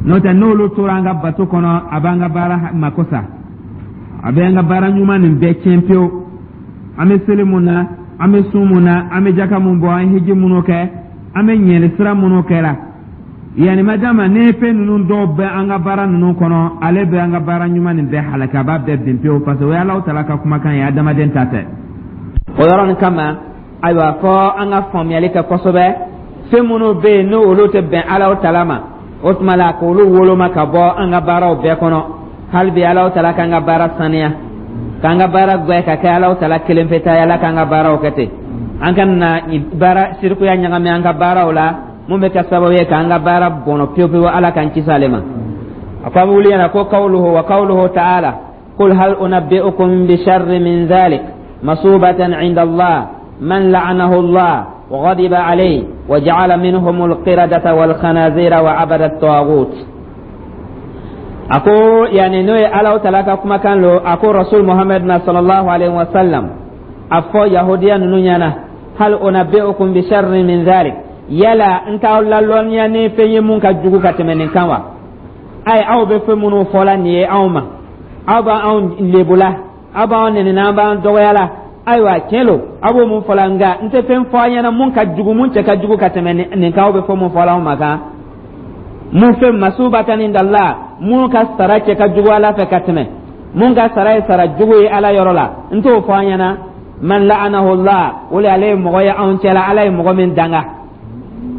N'o tɛ, n'olu tora an ka bato kɔnɔ, a b'an ka baara mako sa, a bɛ an ka baara ɲuman nin bɛɛ tiɲɛ pewu. An bɛ seli mun na, an bɛ sun mun na, an bɛ jaka mun bɔ, an ye hiji minnu kɛ, an bɛ ɲɛli sira minnu kɛra yanni ma d'a ma, ne fɛn ninnu dɔw bɛ an ka baara ninnu kɔnɔ, ale bɛ an ka baara ɲuman nin bɛɛ halaki, a b'a bɛɛ bin pewu, parce que o ye Alahu Taala ka kumakan ye, adamaden ta tɛ. O yɔrɔnin kama, ayiwa, fɔ an ka faamuyali kɛ kosɛbɛ. Fɛn minnu bɛ yen, n'olu tɛ bɛn Alahu Taala ma, o tuma la k'olu woloma ka bɔ an ka baaraw bɛɛ kɔnɔ. Hali bi, Alahu Taala k'an ka baara saniya, k'an ka baara gbɛ ka kɛ Alahu Taala kelen pe ta ye. Ala k'an ka baaraw kɛ ten, an ka na baara sirikuya ɲagami an ka baaraw la, mun bɛ kɛ sababu ye k'an ka baara bɔnɔ pewu pewu. Ala k'an kisi ale ma. A ko an bɛ wuli ɲɛna ko kawluhu wa kawluhu ta'ala: qul hal unabbi'ukum bi sharri min dhalik masubatan 'inda Allah man la'anahu Allah وغضب عليه وجعل منهم القردة والخنازير وعبد الطاغوت. Ako yani n'o ye Alahu Taala ka kumakan lo. A ko Rasul Muhammad na sallallahu alaihi wasallam, a fɔ yahudiya ninnu ɲɛna: hal unabbi'ukum bi sharri min dhalik, yala n t'aw lalɔnniya ni fɛn ye mun ka jugu ka tɛmɛ nin kan wa? Ayi, aw bɛ fɛn minnu fɔla nin ye anw ma, aw b'anw lebula, aw b'anw nɛnina, an b'an dɔgɔya la. Ayiwa, tiɲɛ lo, aw b'o mun fɔla, nka n tɛ fɛn fɔ aw ɲɛna mun ka jugu, mun cɛ ka jugu ka tɛmɛ nin kan, aw bɛ fɛn mun fɔla anw ma kan. Mun fɛn masubatan indallah, mun ka sara cɛ ka jugu Ala fɛ ka tɛmɛ, mun ka sara ye sara jugu ye Ala yɔrɔ la, n t'o fɔ an ɲɛna. Man la'anahu Allah, o le ale ye mɔgɔ ye anw cɛla, Ala ye mɔgɔ min danga.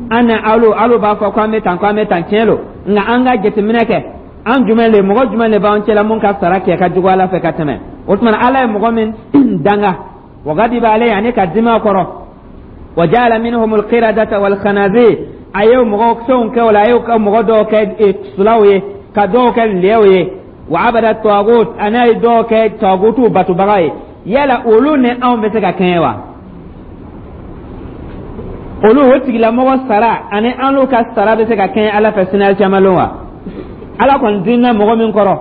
An ni alu b'a fɔ ko an bɛ tan, ko an bɛ tan, tiɲɛ lo, nka an ka jateminɛ kɛ, an jumɛn le, mɔgɔ jumɛn le b'an cɛla mun ka sara kɛ ka jugu Ala fɛ ka tɛmɛ? O tuma, Ala ye mɔgɔ min danga, wa gadiba alayhi, ani ka dimi a kɔrɔ, wa ja'ala minhum alqiradata wal khanazir, a ye mɔgɔ fɛnw kɛ o la, a y'o ka mɔgɔ dɔw kɛ sulaw ye, ka dɔw kɛ lɛw ye, wa abada tagut, ani a ye dɔw kɛ tagutu batubaga ye. Yala olu ni anw bɛ se ka kɛɲɛ wa? Olu o tigilamɔgɔ sara ani an ka sara bɛ se ka kɛɲɛ Ala fɛ sini alikiyama lon wa? Ala kɔni dimina mɔgɔ min kɔrɔ,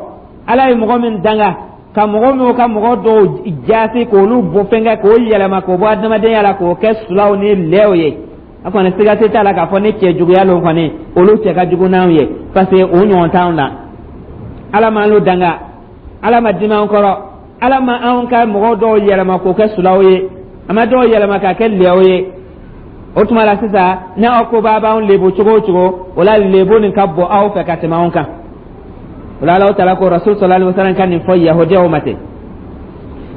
Ala ye mɔgɔ min danga, ka mɔgɔ minnu ka mɔgɔ dɔw jaasi k'olu bɔ fɛnkɛ, k'o yɛlɛma k'o bɔ adamadenya la, k'o kɛ sulaw ni lɛw ye, a kɔni siga tɛ t'a la k'a fɔ ni cɛ juguya lon kɔni, olu cɛ ka jugu n'anw ye, parce que o ɲɔgɔn t'anw na. Ala m'an l'u danga, Ala ma dimi an kɔrɔ, Ala ma anw ka mɔgɔ dɔw yɛlɛma k'o kɛ sulaw ye, a ma dɔw yɛlɛma k'a kɛ lɛw ye. O tuma la sisan, ni aw ko b'a b'anw lebu cogo o cogo, o la lebu nin ka bɔ aw fɛ ka tɛmɛ anw kan. O la, Alahu Taala ko Rasul sallallahu alaihi wasallam ka nin fɔ yahudiyaw ma ten.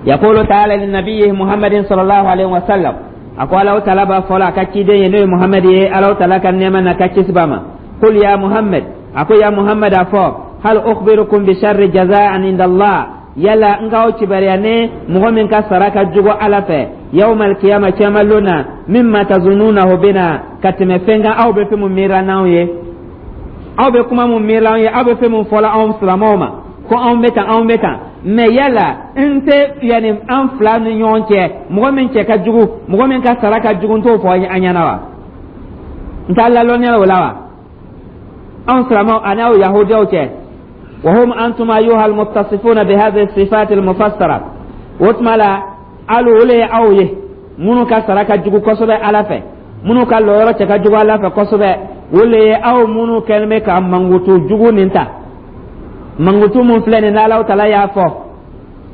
Yaqulu ta'ala li nabiyyihi Muhammadin sallallahu alaihi wasallam, a ko Alahu Taala b'a fɔ la a ka ciden ye, n'o ye Muhammad ye, Alahu Taala ka nɛɛma n'a ka kisi b'a ma: qul ya Muhammad, a ko ya Muhammad, a fɔ: hal ukhbirukum bi sharri jaza'an inda Allah, yala n k'aw kibaruya ni mɔgɔ min ka sara ka jugu Ala fɛ yawmal qiyama, cɛma lon na, mimma tazununahu bina, ka tɛmɛ fɛn kan aw bɛ fɛn mun miirila n'anw ye, aw bɛ kuma mun miirila anw ye, aw bɛ fɛn mun fɔla anw silamɛw ma ko anw bɛ tan, anw bɛ tan? Mɛ yala n tɛ yanni an fila ni ɲɔgɔn cɛ, mɔgɔ min cɛ ka jugu, mɔgɔ min ka sara ka jugu, n t'o fɔ an ɲɛna wa? N t'a lalɔnniya o la wa, anw silamɛw ani aw yahudiyaw cɛ? وهم أنتم أيها المتصفون بهذه الصفات المفسرة. O tuma la, alu o le ye aw ye minnu ka sara ka jugu kosɛbɛ Ala fɛ, minnu ka lɔyɔrɔ cɛ ka jugu Ala fɛ kosɛbɛ, o le ye aw minnu kɛlen bɛ ka mankutu jugu nin ta. Mankutu mun filɛ nin n'Alahu Taala y'a fɔ,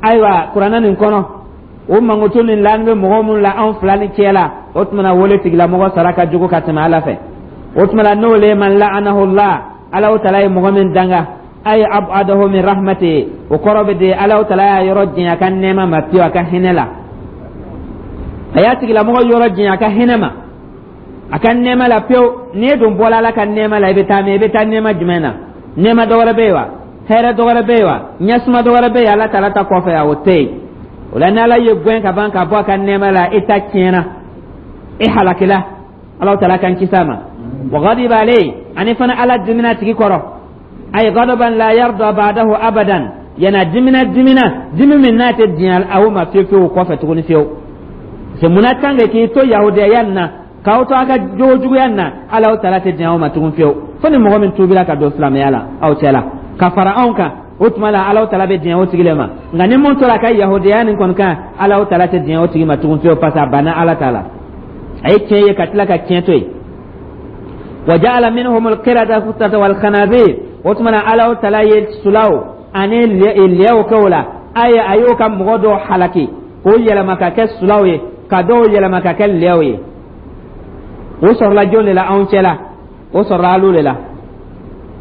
ayiwa, kuranɛ nin kɔnɔ, o mankutu nin laani bɛ mɔgɔ minnu la anw fila ni cɛ la, o tuma na wele tigilamɔgɔ sara ka jugu ka tɛmɛ Ala fɛ. O tuma na, n'o le ye man la'anahu Allah, Alahu Taala ye mɔgɔ min danga, ay ab'adahu min rahmati, o kɔrɔ bɛ di Alahu Taala y'a yɔrɔ janya a ka nɛɛma ma pewu, a ka hinɛ la. A y'a tigilamɔgɔ yɔrɔ janya a ka hinɛ ma, a ka nɛɛma la pewu. N'i dun bɔla Ala ka nɛɛma la, i bɛ taa min? I bɛ taa nɛɛma jumɛn na? Nɛɛma dɔ wɛrɛ bɛ yen wa? Hɛrɛ dɔ wɛrɛ bɛ yen wa? Ɲɛsuma dɔ wɛrɛ bɛ yen Ala Taala ta kɔfɛ? O tɛ yen. O la, ni Ala ye gɛn ka ban ka bɔ a ka nɛɛma la, i ta tiɲɛna, i halakila. Ala Taala kan kisi a ma. Wa ghadiba alayhi, ani fana Ala dimina tigi kɔrɔ, ay ghadaban la yarda ba'dahu abadan, yana dimina dimina dimi min n'a tɛ diɲɛ aw ma fiyewu fiyewu kɔfɛ tuguni fiyewu. C'est munna tant que k'i to yahudiyaya nin na, k'aw to a ka jogo juguya nin na, Ala Taala tɛ diɲɛ aw ma tugun fiyewu, fo ni mɔgɔ min tuubira ka don silamɛya la aw cɛ la ka fara anw kan. O tuma la, Ala Taala bɛ diɲɛ o tigi le ma. Nka ni mun tora a ka yahudiyaya nin kɔni kan, Ala Taala tɛ diɲɛ o tigi ma tugun fiyewu, parce que a banna Ala ta la, a ye tiɲɛ ye ka tila ka tiɲɛ to yen. Wa ja'ala minhum al-qiradata wal khanazir. O tuma na, Alahu Taala ye sulaw ani lɛw kɛ o la. A ye a y'o ka mɔgɔ dɔw halaki k'o yɛlɛma ka kɛ sulaw ye, ka dɔw yɛlɛma ka kɛ lɛw ye. O sɔrɔla jɔn de la anw cɛ la? O sɔrɔla alu de la.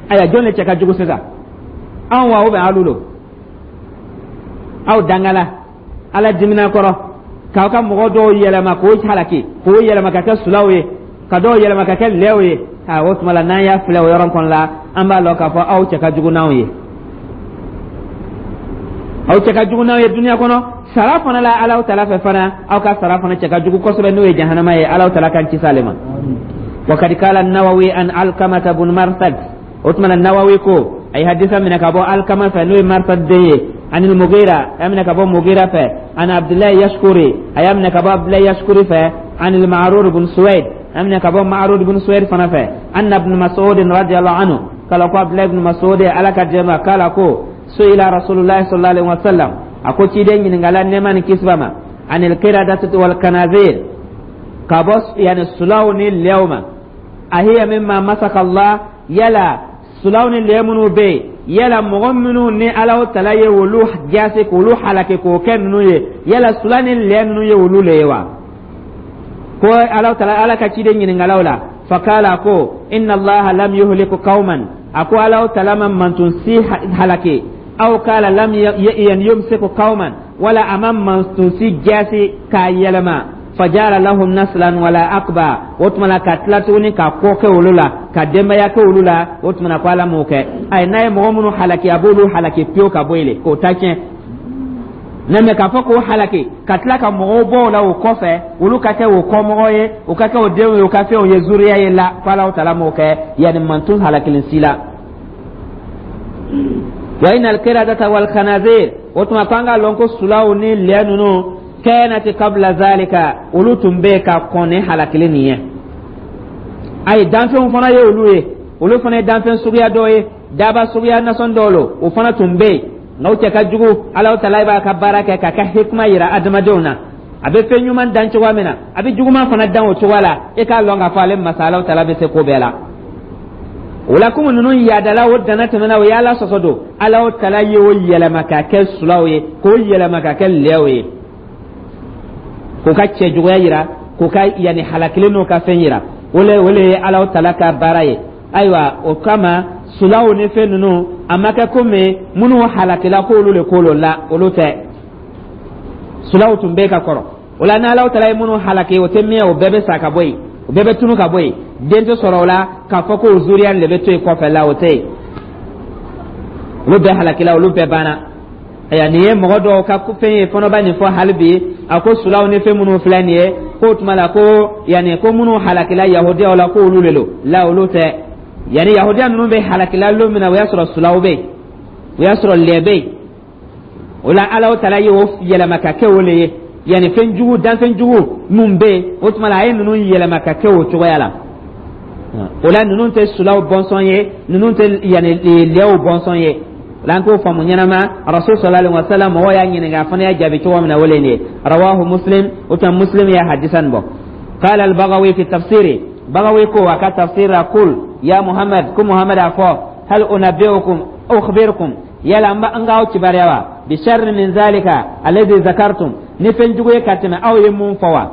Ayiwa, jɔn de cɛ ka jugu sisan, anw wa, ou bien alu lo? Aw dangala Ala dimina kɔrɔ k'aw ka mɔgɔ dɔw yɛlɛma k'o halaki, k'o yɛlɛma ka kɛ sulaw ye, ka dɔw yɛlɛma ka kɛ lɛw ye. A o tuma la, n'an y'a filɛ o yɔrɔ kɔnɔ la, an b'a lɔn k'a fɔ aw cɛ ka jugu n'anw ye, aw cɛ ka jugu n'aw ye duniya kɔnɔ. Sara fana la, Alahu Taala fɛ fana, aw ka sara fana cɛ ka jugu kosɛbɛ, n'o ye jahanama ye. Alahu Taala k'an kisi ale ma. وقد قال النووي عن علقمة بن مرثد. O tuma na, Nawawi ko a ye hadisa minɛ ka bɔ Alkama fɛ, n'o ye Marsad den ye, عن المغيرة, a y'a minɛ ka bɔ Mugira fɛ, عن عبد الله يشكري, a y'a minɛ ka bɔ Abdulahi Yashkuri fɛ, عن المعرور بن سويد, a y'a minɛ ka bɔ Ma'rur bun Suwaid fana fɛ, أن ابن مسعود رضي الله عنه قال, ko Abdulahi ibn Mas'ud, Ala ka jɛma, قال, ko سئل رسول الله صلى الله عليه وسلم, a ko ciden ɲininkala, nɛɛma ni kisi b'a ma, عن القردة والخنازير, ka bɔ yani sulaw ni lɛw ma, أهي مما مسخ الله, yala sulaw ni lɛ minnu bɛ yen, yala mɔgɔ minnu ni Alahu Tala ye olu jase k'olu halake k'o kɛ ninnu ye, yala sula ni lɛ ninnu ye olu le ye wa? Ko Alahu Tala, Ala ka ciden ɲininkalaw la. فقال, ko إن الله لم يهلك قوما, a ko Alahu Tala ma mantun si halake, أو قال لم يمسخ قوما, wala a ma mantun si jasi k'a yɛlɛma, فجعل لهم نسلا ولا عقبا, o tuma na ka tila tuguni ka kɔ kɛ olu la, ka denbaya kɛ olu la. O tuma na, ko Ala m'o kɛ. Ayi, n'a ye mɔgɔ minnu halaki, a b'olu halaki pewu ka bɔ yen le, k'o ta tiɲɛ mɛ k'a fɔ k'o halaki ka tila ka mɔgɔw bɔ o la o kɔfɛ, olu ka kɛ o kɔmɔgɔ ye, o ka kɛ o denw ye, o ka fɛnw ye, zuriya ye la, ko Alahu Taala m'o kɛ yanni mantun halakilen si la. وإن القردة والخنازير, o tuma ko an k'a lɔn ko sulaw ni lɛ ninnu, كانت قبل ذلك, olu tun bɛ ka kɔn ni halakili nin ye. Ayi, danfɛnw fana ye olu ye, olu fana ye danfɛn suguya dɔ ye, daba suguya nasɔn dɔw lo, o fana tun bɛ yen, nka o cɛ ka jugu. Alahu Taala b'a ka baara kɛ k'a ka hikima yira adamadenw na. A bɛ fɛn ɲuman dan cogoya min na, a bɛ juguman fana dan o cogoya la. E k'a lɔn k'a fɔ ale masa Alahu Taala bɛ se ko bɛɛ la. O la, komi ninnu yaadala, o dana tɛmɛna, o y'Ala sɔsɔ don, Alahu Taala ye o yɛlɛma k'a kɛ sulaw ye, k'o yɛlɛma k'a kɛ lɛw ye, k'o ka cɛjuguya yira, k'o ka yanni halakili n'o ka fɛn yira. O le ye Alahu Taala ka baara ye. Ayiwa, o kama sulaw ni fɛn ninnu, a ma kɛ komi minnu halakila k'olu le k'olu la, olu tɛ. Sulaw tun bɛ ka kɔrɔ. O la, n'Alahu Taala ye minnu halaki, o tɛ mɛn, o bɛɛ bɛ sa ka bɔ yen, o bɛɛ bɛ tunu ka bɔ yen. Den tɛ sɔrɔ o la k'a fɔ ko zuriya de bɛ to yen kɔfɛ la, o tɛ yen. Olu bɛɛ halakila, olu bɛɛ banna. Ayiwa, nin ye mɔgɔ dɔw ka fɛn ye fɔnɔba nin fɔ hali bi. A ko sulaw ni fɛn minnu filɛ nin ye, k'o tuma la ko yanni ko minnu halakila yahudiyaw la, k'olu de don la, olu tɛ. Yanni yahudiya ninnu bɛ halakila lon min na, o y'a sɔrɔ sulaw bɛ yen, o y'a sɔrɔ lɛ bɛ yen. O la, Alahu Taala ye o yɛlɛma ka kɛ o le ye, yanni fɛn jugu, danfɛn jugu min bɛ yen, o tuma la a ye ninnu yɛlɛma ka kɛ o cogoya la. O la, ninnu tɛ sulaw bɔnsɔn ye, ninnu tɛ yanni lɛw bɔnsɔn ye. O la, an k'o faamu ɲɛnama. Rasul صلى الله عليه وسلم, mɔgɔw y'a ɲininka, a fana y'a jaabi cogo min na, o le nin ye. رواه مسلم, o tuma Muslim ye hadisa nin bɔ. قال البغوي في تفسيره, Bagawi ko a ka tafsir la, قل يا محمد, ko Muhammad a fɔ, هل أنبئكم أخبركم, yala n k'aw kibaruya wa, بشر من ذلك الذي ذكرتم, ni fɛn jugu ye ka tɛmɛ aw ye mun fɔ wa?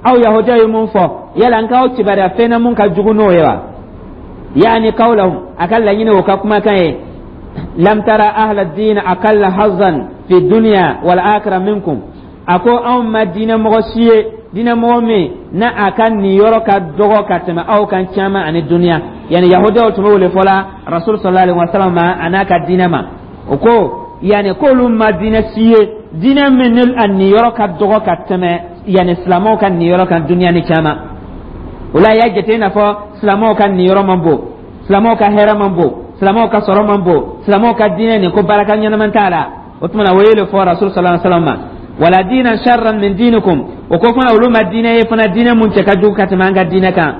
Aw yahudiyaw ye mun fɔ, yala n k'aw kibaruya fɛn na mun ka jugu n'o ye wa? يعني قولهم, a ka laɲini o ka kumakan ye, لم تر أهل الدين أقل حظا في الدنيا والآخرة منكم, a ko anw ma diinɛ mɔgɔ si ye, diinɛ mɔgɔ min na a ka niyɔrɔ ka dɔgɔ ka tɛmɛ aw kan caman ani duniya. Yani yahudiyaw tun bɛ wele fɔla rasul صلى الله عليه وسلم ma a n'a ka diinɛ ma. O ko yani k'olu ma diinɛ si ye, diinɛ min ni a niyɔrɔ ka dɔgɔ ka tɛmɛ yani silamɛw ka niyɔrɔ kan duniya ni caman. O la, y'a jate i n'a fɔ silamɛw ka niyɔrɔ man bon, silamɛw ka hɛrɛ man bon, silamɛw ka sɔrɔ man bon, silamɛw ka diinɛ nin ko baraka ɲɛnama t'a la. O tuma na, o ye le fɔ rasul صلى الله عليه وسلم ma. ولا دينا شرا من دينكم, o ko fana olu ma diinɛ ye fana, diinɛ mun cɛ ka jugu ka tɛmɛ an ka diinɛ kan.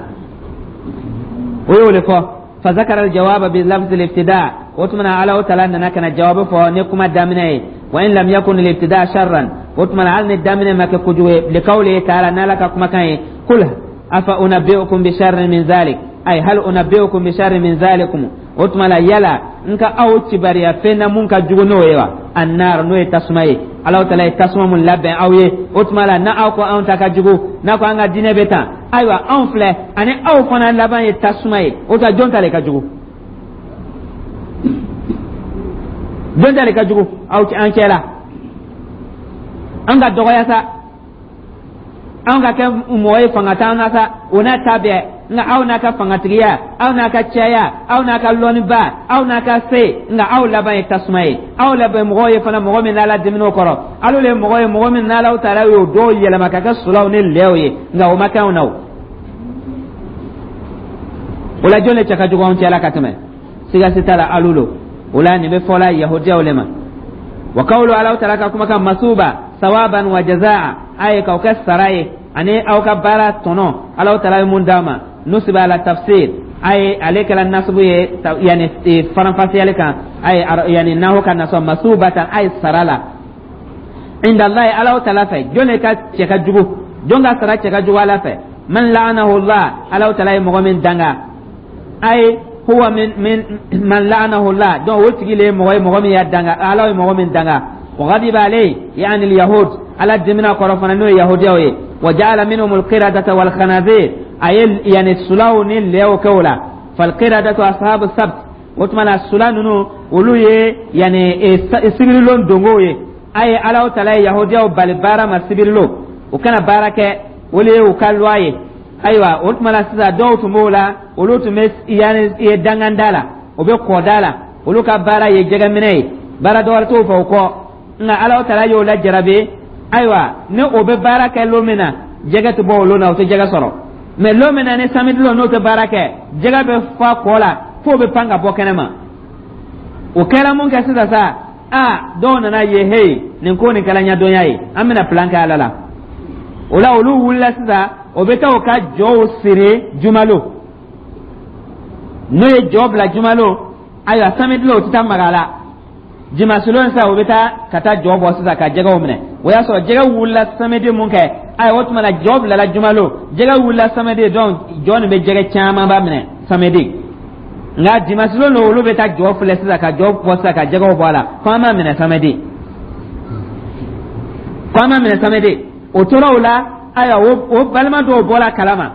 O y'o le fɔ. فذكر الجواب بلفظ الابتداء, o tuma na Ala Taala nana ka na jawabu fɔ ni kuma daminɛ ye, وإن لم يكن الابتداء شرا, o tuma na hali ni daminɛ ma kɛ kojugu ye, لقوله تعالى, n'Ala ka kumakan ye, قل أفأنبئكم بشر من ذلك, أي هل أنبئكم بشر من ذلكم. O tuma la, yala n ka aw kibariya fɛn na mun ka jugu n'o ye wa? Annar, n'o ye tasuma ye. Alahu Taala ye tasuma mun labɛn aw ye. O tuma la, na aw ko anw ta ka jugu, n'a ko an ka diinɛ bɛ tan, ayiwa, anw filɛ ani aw fana laban ye tasuma ye. O tuma, jɔn ta le ka jugu? Jɔn ta le ka jugu aw an cɛ la? An ka dɔgɔya sa, an ka kɛ mɔgɔ ye, fanga t'an na sa, o n'a ta bɛɛ, nka aw n'a ka fangatigiya, aw n'a ka caya, aw n'a ka lɔnniba, aw n'a ka se, nka aw laban ye tasuma ye. Aw laban mɔgɔw ye fana mɔgɔ min n'Ala dimin'o kɔrɔ. Alu le mɔgɔ ye mɔgɔ min n'Alaw taala y'o dɔw yɛlɛma ka kɛ sulaw ni lɛw ye, nka o ma kɛ anw na. O o la, jɔn de cɛ ka jugu anw cɛla ka tɛmɛ? Siga si t'a la, alu lo. O la, nin bɛ fɔla yahudiyaw le ma. Wa kawulu, Alaw taala ka kumakan, masuba sawaban wa jazaa, a ye k'aw kɛ sara ye ani aw ka baara tɔnɔ, Alaw taala ye mun d'a ma. Nusiba ala tafsir, a ye ale kɛla nasubu ye, yani faranfasiyali kan, a ye yani nahu ka nasɔ masubatan, a ye sara la, inda Allahi, Alaw taala fɛ. Jɔn de ka cɛ ka jugu? Jɔn ka sara cɛ ka jugu Ala fɛ? Man la'anahu Allah, Alaw taala ye mɔgɔ min danga, ay huwa min man la'anahu Allah. Donc o tigi le ye mɔgɔ ye, mɔgɔ min y'a danga, Ala ye mɔgɔ min danga. Wa ghadiba alayhi, yani al-yahud, Ala dimina kɔrɔ fana, n'o ye yahudiyaw ye. Wa ja'ala minhum al-qiradata wal khanazir, a ye yani sulaw ni lɛw kɛ o la. Fal qiradatu ashabu sabt. O tuma la, sula ninnu, olu ye yani sibirilon dongow ye. A ye Alaw tala ye yahudiyaw bali baara ma sibirilon, u kana baara kɛ, o le ye u ka loi ye. Ayiwa, o tuma la sisan, dɔw tun b'o la, olu tun bɛ yani danganda la, o bɛ kɔda la, olu ka baara ye jɛgɛminɛ ye, baara dɔwɛrɛ t'o fɛ o kɔ. Nka Alaw tala y'o lajarabi. Ayiwa, ni o bɛ baara kɛ lon min na, jɛgɛ tɛ bɔ o lon na, o tɛ jɛgɛ sɔrɔ. Mɛ lon min na ni samedi lon n'o tɛ baara kɛ, jɛgɛ bɛ fa kɔ la f'o bɛ pan ka bɔ kɛnɛ ma. O kɛra mun kɛ sisan sa? Aa, dɔw nana ye, hey, nin ko nin kɛra ɲɛdɔnya ye, an bɛna plan kɛ Ala la. O la, olu wulila sisan, o bɛ taa o ka jɔw siri jumalo. N'o ye jɔ bila jumalo, ayiwa, samedi lon, o tɛ taa maga a la. Dimanche lon sisan, o bɛ taa ka taa jɔ bɔ sisan ka jɛgɛw minɛ. O y'a sɔrɔ jɛgɛ wulila samedi mun kɛ, ayiwa, o tuma na jɔ bilala jumalo, jɛgɛ wulila samedi, donc jɔ nin bɛ jɛgɛ camanba minɛ samedi. Nka dimanche lon don, olu bɛ taa jɔ filɛ sisan ka jɔ bɔ sisan ka jɛgɛw bɔ a la, ko an m'a minɛ samedi, ko an m'a minɛ samedi. O tora o la. Ayiwa, o balima dɔw bɔra kalama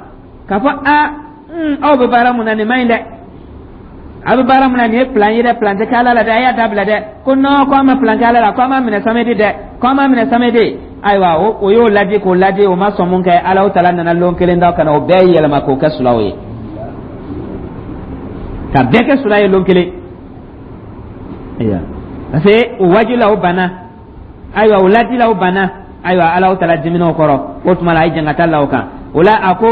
k'a fɔ: a, aw bɛ baara mun na, nin man ɲi dɛ. A bɛ baara mun na, nin ye plan ye dɛ, plan tɛ kɛ Ala la dɛ, a y'a dabila dɛ. Ko non, ko an ma plan kɛ Ala la, ko an m'a minɛ samedi dɛ, ko an m'a minɛ samedi. Ayiwa, o y'o ladi k'o ladi, o ma sɔn. Mun kɛ? Alaw tala nana lon kelen da ka na o bɛɛ yɛlɛma k'o kɛ sulaw ye, ka bɛɛ kɛ sula ye lon kelen. Ayiwa, parce que o wajibi la, o banna. Ayiwa, o ladi la, o banna. Ayiwa, Alaw tala dimina o kɔrɔ. O tuma la, a ye jangata la o kan. O la, a ko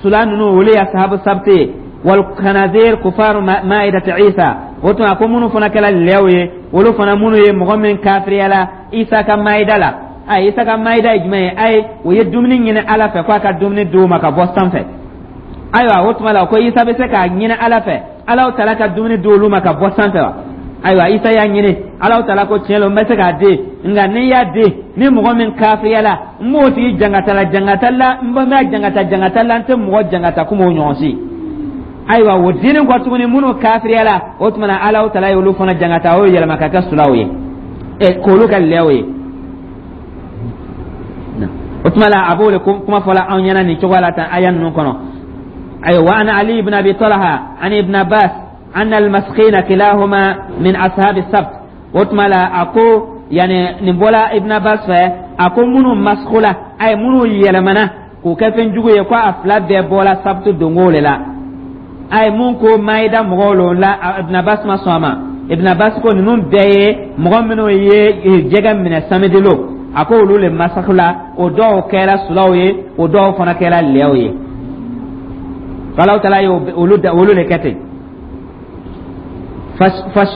sula ninnu, olu ye ashabu sabti ye. Wal khanazir kufaru maidati Isa. O tuma, a ko minnu fana kɛra lɛw ye, olu fana minnu ye mɔgɔ min kafiriyala Isa ka maida la. A Isa ka maida ye jumɛn ye? Ayi, o ye dumuni ɲini Ala fɛ k'a ka dumuni d'u ma ka bɔ sanfɛ. Ayiwa, o tuma la, ko Isa bɛ se k'a ɲini Ala fɛ, Alaw tala ka dumuni di olu ma ka bɔ sanfɛ wa? Ayiwa, Isa y'a ɲini, Alaw tala ko tiɲɛ lo, n bɛ se k'a di, nka n'i y'a di, ni mɔgɔ min kafiriyala, n b'o tigi jangata la, jangata la, n bɛ jangata jangata la, n tɛ mɔgɔ jangata komi o ɲɔgɔn si. Ayiwa, o dini kɔ tuguni, minnu kafiriyala, o tuma na, Alaw tala ye olu fana jangata, o yɛlɛma ka kɛ sulaw ye, ɛ, k'olu kɛ lɛw ye. O tuma la, a b'o de kuma fɔla anw ɲɛna nin cogoya la tan aya ninnu kɔnɔ. Ayiwa, wa an Ali ibn Abi Talha an Ibn Abbas anna al-maskhina kilahuma min ashabi sabt. O tuma la, a ko yani nin bɔla Ibn Abbas fɛ, a ko minnu maskhula, ayi, minnu yɛlɛmana k'u kɛ fɛn jugu ye, ko a fila bɛɛ bɔla sabtu dongo le la. A ye mun ko maayida mɔgɔw lo la, Ibn Abbas ma sɔn a ma. Ibn Abbas ko ninnu bɛɛ ye mɔgɔ minnu ye jɛgɛ minɛ samedi lo, a ko olu le masakula, o dɔw kɛra sulaw ye, o dɔw fana kɛra lɛw ye. Alaw tala ye olu de kɛ ten.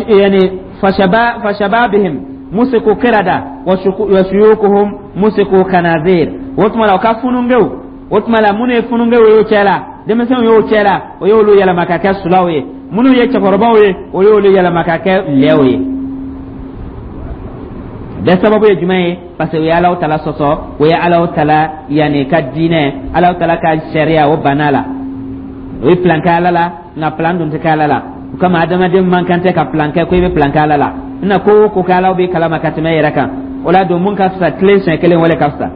Yani fashababihim musiku kirada wa shuyukuhum musiku kanazir. O tuma la, o ka funungew, o tuma la, minnu ye funungew ye o cɛ la, denmisɛnw y'o cɛ la, o y'olu yɛlɛma ka kɛ sulaw ye. Minnu ye cɛkɔrɔbaw ye, o y'olu yɛlɛma ka kɛ lɛw ye. Bɛɛ sababu ye jumɛn ye? Parce que o ye Alaw tala sɔsɔ, o ye Alaw tala yanni ka diinɛ, Alaw tala ka sariya, o banna la, o ye plan kɛ Ala la, nka plan dun tɛ kɛ Ala la. O kama, adamaden man kan tɛ ka plan kɛ ko i bɛ plan kɛ Ala la. I na ko o ko kɛ, Ala b'i kalama ka tɛmɛ e yɛrɛ kan. O la don, mun ka fisa, tilen siɲɛ kelen, wale ka fisa.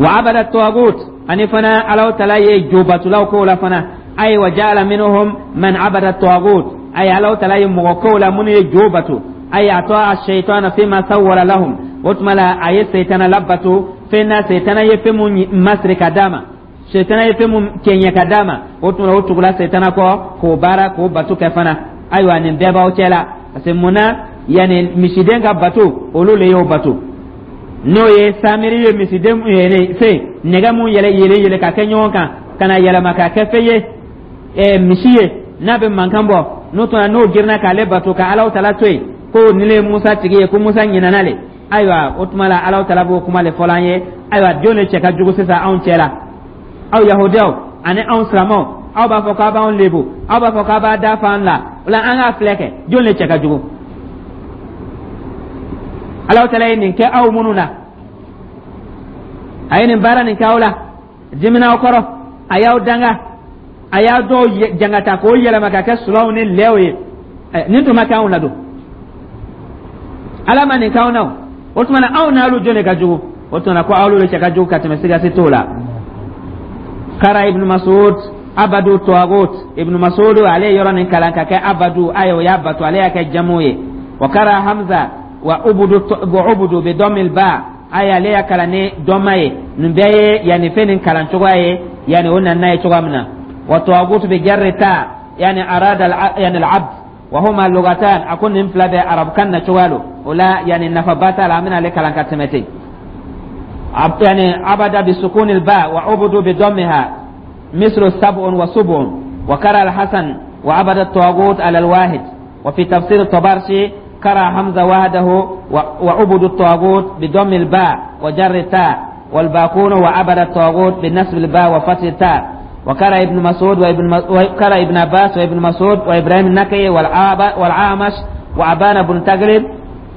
Wa abada tawagut, ani fana Alaw tala ye jobatulaw ko la fana. Ayi, wa ja'ala minhum man abada tawagut, ayi, Alaw tala ye mɔgɔ kow la minnu ye jo bato. Ayi, ata ash-shaytana fima sawwara lahum. O tuma la, a ye seytana labato fɛn na, seytana ye fɛn mun masiri ka d'a ma, seytana ye fɛn mun cɛɲɛ ka d'a ma. O tuma la, o tugula seytana kɔ k'o baara, k'o bato kɛ fana. Ayiwa, nin bɛɛ b'aw cɛ la, parce que mun na, yanni misiden ka bato, olu le y'o bato, n'o ye Samiri ye misiden fɛn nɛgɛ mun yɛlɛ yɛlɛ yɛlɛ ka kɛ ɲɔgɔn kan, ka na yɛlɛma ka kɛ fɛn ye, misi ye n'a bɛ mankan bɔ. N'o tuma, n'o girinna k'ale bato ka Alaw tala to yen, ko nin le ye Musa tigi ye, ko Musa ɲinana le. Ayiwa, o tuma la, Alaw tala b'o kuma le fɔla an ye. Ayiwa, jɔn de cɛ ka jugu sisan anw cɛ la? Aw Yahudiyaw ani anw silamɛw, aw b'a fɔ k'aw b'anw lebu, aw b'a fɔ k'aw b'a da fa an la. O la, an k'a filɛ kɛ, jɔn de cɛ ka jugu? Alaw tala ye nin kɛ aw minnu na, a ye nin baara nin kɛ aw la, dimina aw kɔrɔ, a y'aw danga, a y'a dɔw jangata k'o yɛlɛma ka kɛ sulaw ni lɛw ye. Nin tun ma kɛ anw la don, Ala ma nin k'anw na. O tuma na, anw n'alu jɔn de ka jugu? O tuma na, ko aw de cɛ ka jugu ka tɛmɛ, sigasi t'o la. Kara Ibn Masud abadu tawagut. Ibn Masud, ale ye yɔrɔ nin kalan ka kɛ abadu, ayi, o y'a bato, ale y'a kɛ jamu ye. Wa kara Hamza wa ubudu, wa ubudu bi dɔmil ba, ayi, ale y'a kalan ni dɔma ye. Nin bɛɛ ye yanni fɛn nin kalan cogoya ye, yanni o nana ye cogoya min na. Wa tawagut bi jarri ta, yani arada yani al-abd, wa huma lugatan. A ko nin fila bɛ arabukan na cogoya lo. O la, yani nafaba t'a la, an bɛna ale kalan ka tɛmɛ ten. Yani abada bi sukun al-ba wa ubudu bi dammiha, mislu sab'un wa sub'un. Wa kara al-Hasan wa abada at-tawagut ala al-wahid. Wa fi tafsir at-Tabarsi kara Hamza wahdahu wa ubudu at-tawagut bi dammi al-ba wa jarri ta, والباقون وعبد الطاغوت بنصب الباء وفتح التاء. وقرأ ابن مسعود وابن وقرأ ابن عباس وابن مسعود وإبراهيم النخعي والأعمش وأبان بن تغلب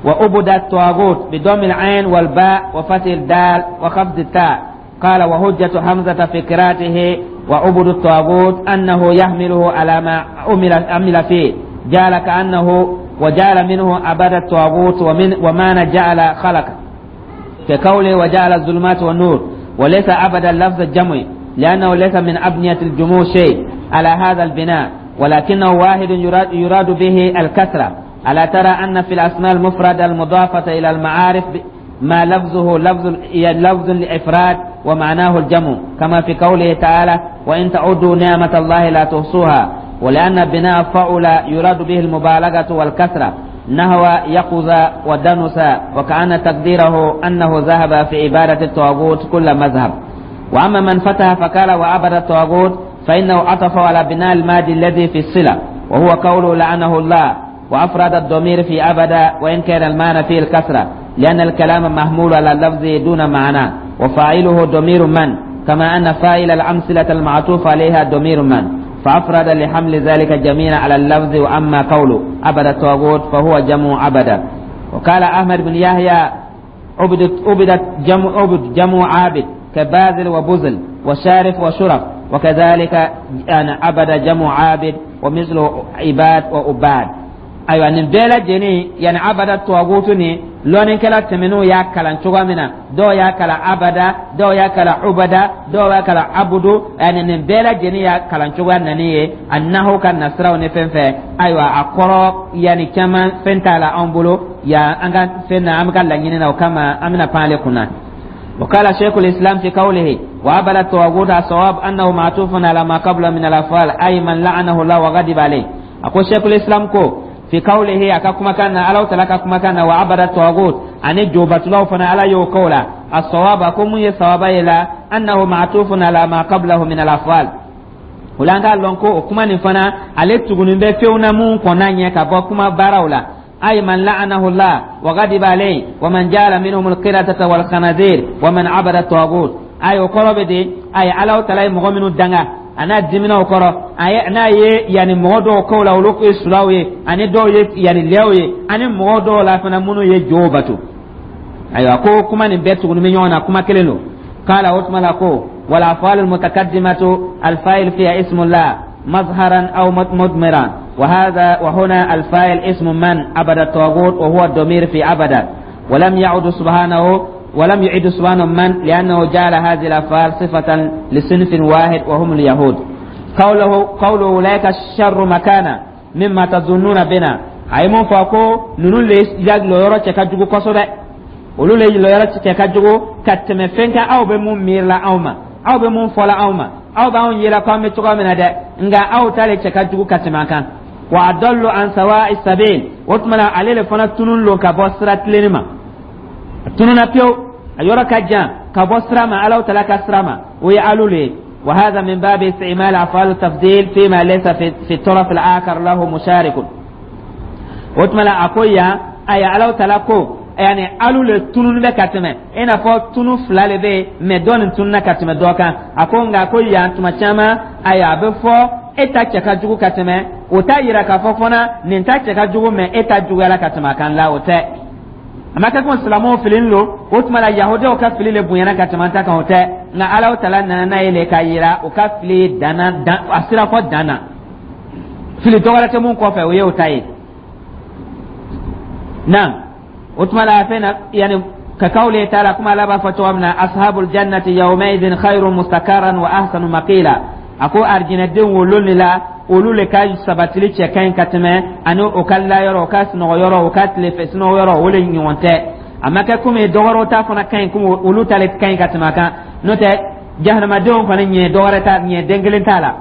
وعبد الطاغوت بضم العين والباء وفتح الدال وخفض التاء. قال: وحجة حمزة في قراءته وعبد الطاغوت أنه يحمله على ما عمل فيه، جعل كأنه وجعل منه عبد الطاغوت ومن وما جعل خلق، كقوله وجعل الظلمات والنور. وليس عبد اللفظ الجمع، لأنه ليس من أبنية الجموع شيء على هذا البناء، ولكنه واحد يراد به الكثرة. ألا ترى أن في الأسماء المفردة المضافة إلى المعارف ما لفظه لفظ الإفراد ومعناه الجمع، كما في قوله تعالى: وإن تعدوا نعمة الله لا تحصوها؟ ولأن بناء فعل يراد به المبالغة والكثرة، نحو يقظ ودنس، وكأن تقديره أنه ذهب في عبادة الطاغوت كل مذهب. وأما من فتح فقال وعبد الطاغوت، فإنه عطف على بناء الماضي الذي في الصلة، وهو قوله لعنه الله، وأفرد الضمير في عبد، وإن كان المعنى فيه الكثرة، لأن الكلام محمول على اللفظ دون معنى، وفاعله ضمير من، كما أن فاعل الأمثلة المعطوف عليها ضمير من، فأفرد لحمل ذلك جميعا على اللفظ. وأما قوله عبد الطاغوت فهو جمع عبد. وقال أحمد بن يحيى: عبدت عبدت جمع عبد، جمع عابد، كباذل وبذل وشارف وشرف، وكذلك يعني عبد جمع عابد، ومثله عباد وعباد. Ayiwa, nin bɛɛ lajɛlen, yani abada tuwagutu ni lɔnnikɛla tɛmɛnenw y'a kalan cogoya min na, dɔw y'a kalan abada, dɔw y'a kalan ubada, dɔw y'a kalan abudu, yani nin bɛɛ lajɛlen y'a kalan cogoya nani ye a nahu ka nasiraw ni fɛn fɛn. Ayiwa, a kɔrɔ yani caman fɛn t'a la anw bolo yan, an ka fɛn na, an bɛ ka laɲini na, o kama an bɛna pan ale kunna. وقال شيخ الإسلام في قوله وعبد الطاغوت: الصواب أنه معطوف على ما قبل من الأفعال، أي من لعنه الله وغضب عليه. أقول شيخ الإسلام كو fi qawlihi, a ka kumakan na, Alaw tala ka kumakan na, wa abada tawagut, ani jobatulaw fana, Ala y'o ko la, as-sawaba, ko mun ye sawaba ye la, annahu ma'tufun ala ma qablahu min al-af'al. O la, an k'a lɔn ko o kuma nin fana, ale tugunin bɛ fɛnw na mun kɔnna ɲɛ ka bɔ kuma baaraw la. أي من لعنه الله وغضب عليه ومن جعل منهم القردة والخنازير ومن عبد الطاغوت. أي o kɔrɔ bɛ di? Ayi, Alaw tala ye mɔgɔ minnu danga a n'a dimina o kɔrɔ, a ye n'a ye yanni mɔgɔ dɔw kow la, olu ye sulaw ye, ani dɔw ye yanni lɛw ye, ani mɔgɔ dɔw la fana minnu ye jow bato. Ayiwa, ko kuma nin bɛɛ tuguni bɛ ɲɔgɔn na, kuma kelen don. Kala o tuma la ko wal af'al al mutaqaddimatu al fa'il fiha ismullah. مظهرا أو مضمرا. وهذا وهنا الفاعل اسم من عبد الطاغوت، وهو الضمير في عبد، ولم يعد سبحانه من، لأنه جعل هذه الأفعال صفة لصنف واحد وهم اليهود. قوله أولئك شر مكانا مما تظنون بنا، a ye mun fɔ ko ninnu le lɔyɔrɔ cɛ ka jugu kosɛbɛ, olu le lɔyɔrɔ cɛ ka jugu ka tɛmɛ fɛn kan. Aw bɛ mun miirila anw ma, aw bɛ mun fɔla anw ma, aw b'anw yela ko an bɛ cogoya min na dɛ, nka aw ta le cɛ ka jugu ka tɛmɛ a kan. Wa adallu an sawa'i sabil, o tuma na ale le fana tunun lo ka bɔ sira tilenni ma. A tununna pewu, a yɔrɔ ka jan ka bɔ sira ma, Alahu Taala ka sira ma, o ye alu le ye. وهذا من باب استعمال أفعال التفضيل فيما ليس في الطرف الآخر له مشارك. O tuma la a ko yan, ayi, Alahu Taala ko yani alu le tunun bɛ ka tɛmɛ, i n'a fɔ tunu fila le bɛ yen, mɛ dɔ nin tununa ka tɛmɛ dɔ kan. A ko nka ko yan tuma caman, ayi, a bɛ fɔ e ta cɛ ka jugu ka tɛmɛ, o t'a yira k'a fɔ fana nin ta cɛ ka jugu, mɛ e ta juguyala ka tɛmɛ a kan la. O tɛ, a ma kɛ ko silamɛw fililen lo, o tuma la yahudiyaw ka fili le bonyana ka tɛmɛ an ta kan, o tɛ. Nka Alahu Taala nana n'a ye le k'a yira o ka fili danna dan, a sira fɔ dan na, fili dɔ wɛrɛ tɛ mun kɔfɛ, o ye o ta ye. Naam, o tuma la fɛn na yani كقوله تعالى كما لا بفتوى أصحاب الجنة يومئذ خير مستقرا وأحسن مقيلا. A ko arijinɛdenw wolo de la, olu le ka sabatili cɛ ka ɲi ka tɛmɛ ani o ka layɔrɔ, o ka sunɔgɔ yɔrɔ, o ka tilefɛ sunɔgɔ yɔrɔ, o le ɲɔgɔn tɛ. A ma kɛ komi dɔwɛrɛw ta fana ka ɲi, komi olu ta le ka ɲi ka tɛmɛ a kan. N'o tɛ, jahanamadenw fana ɲɛ dɔwɛrɛ ta, ɲɛ den kelen t'a la,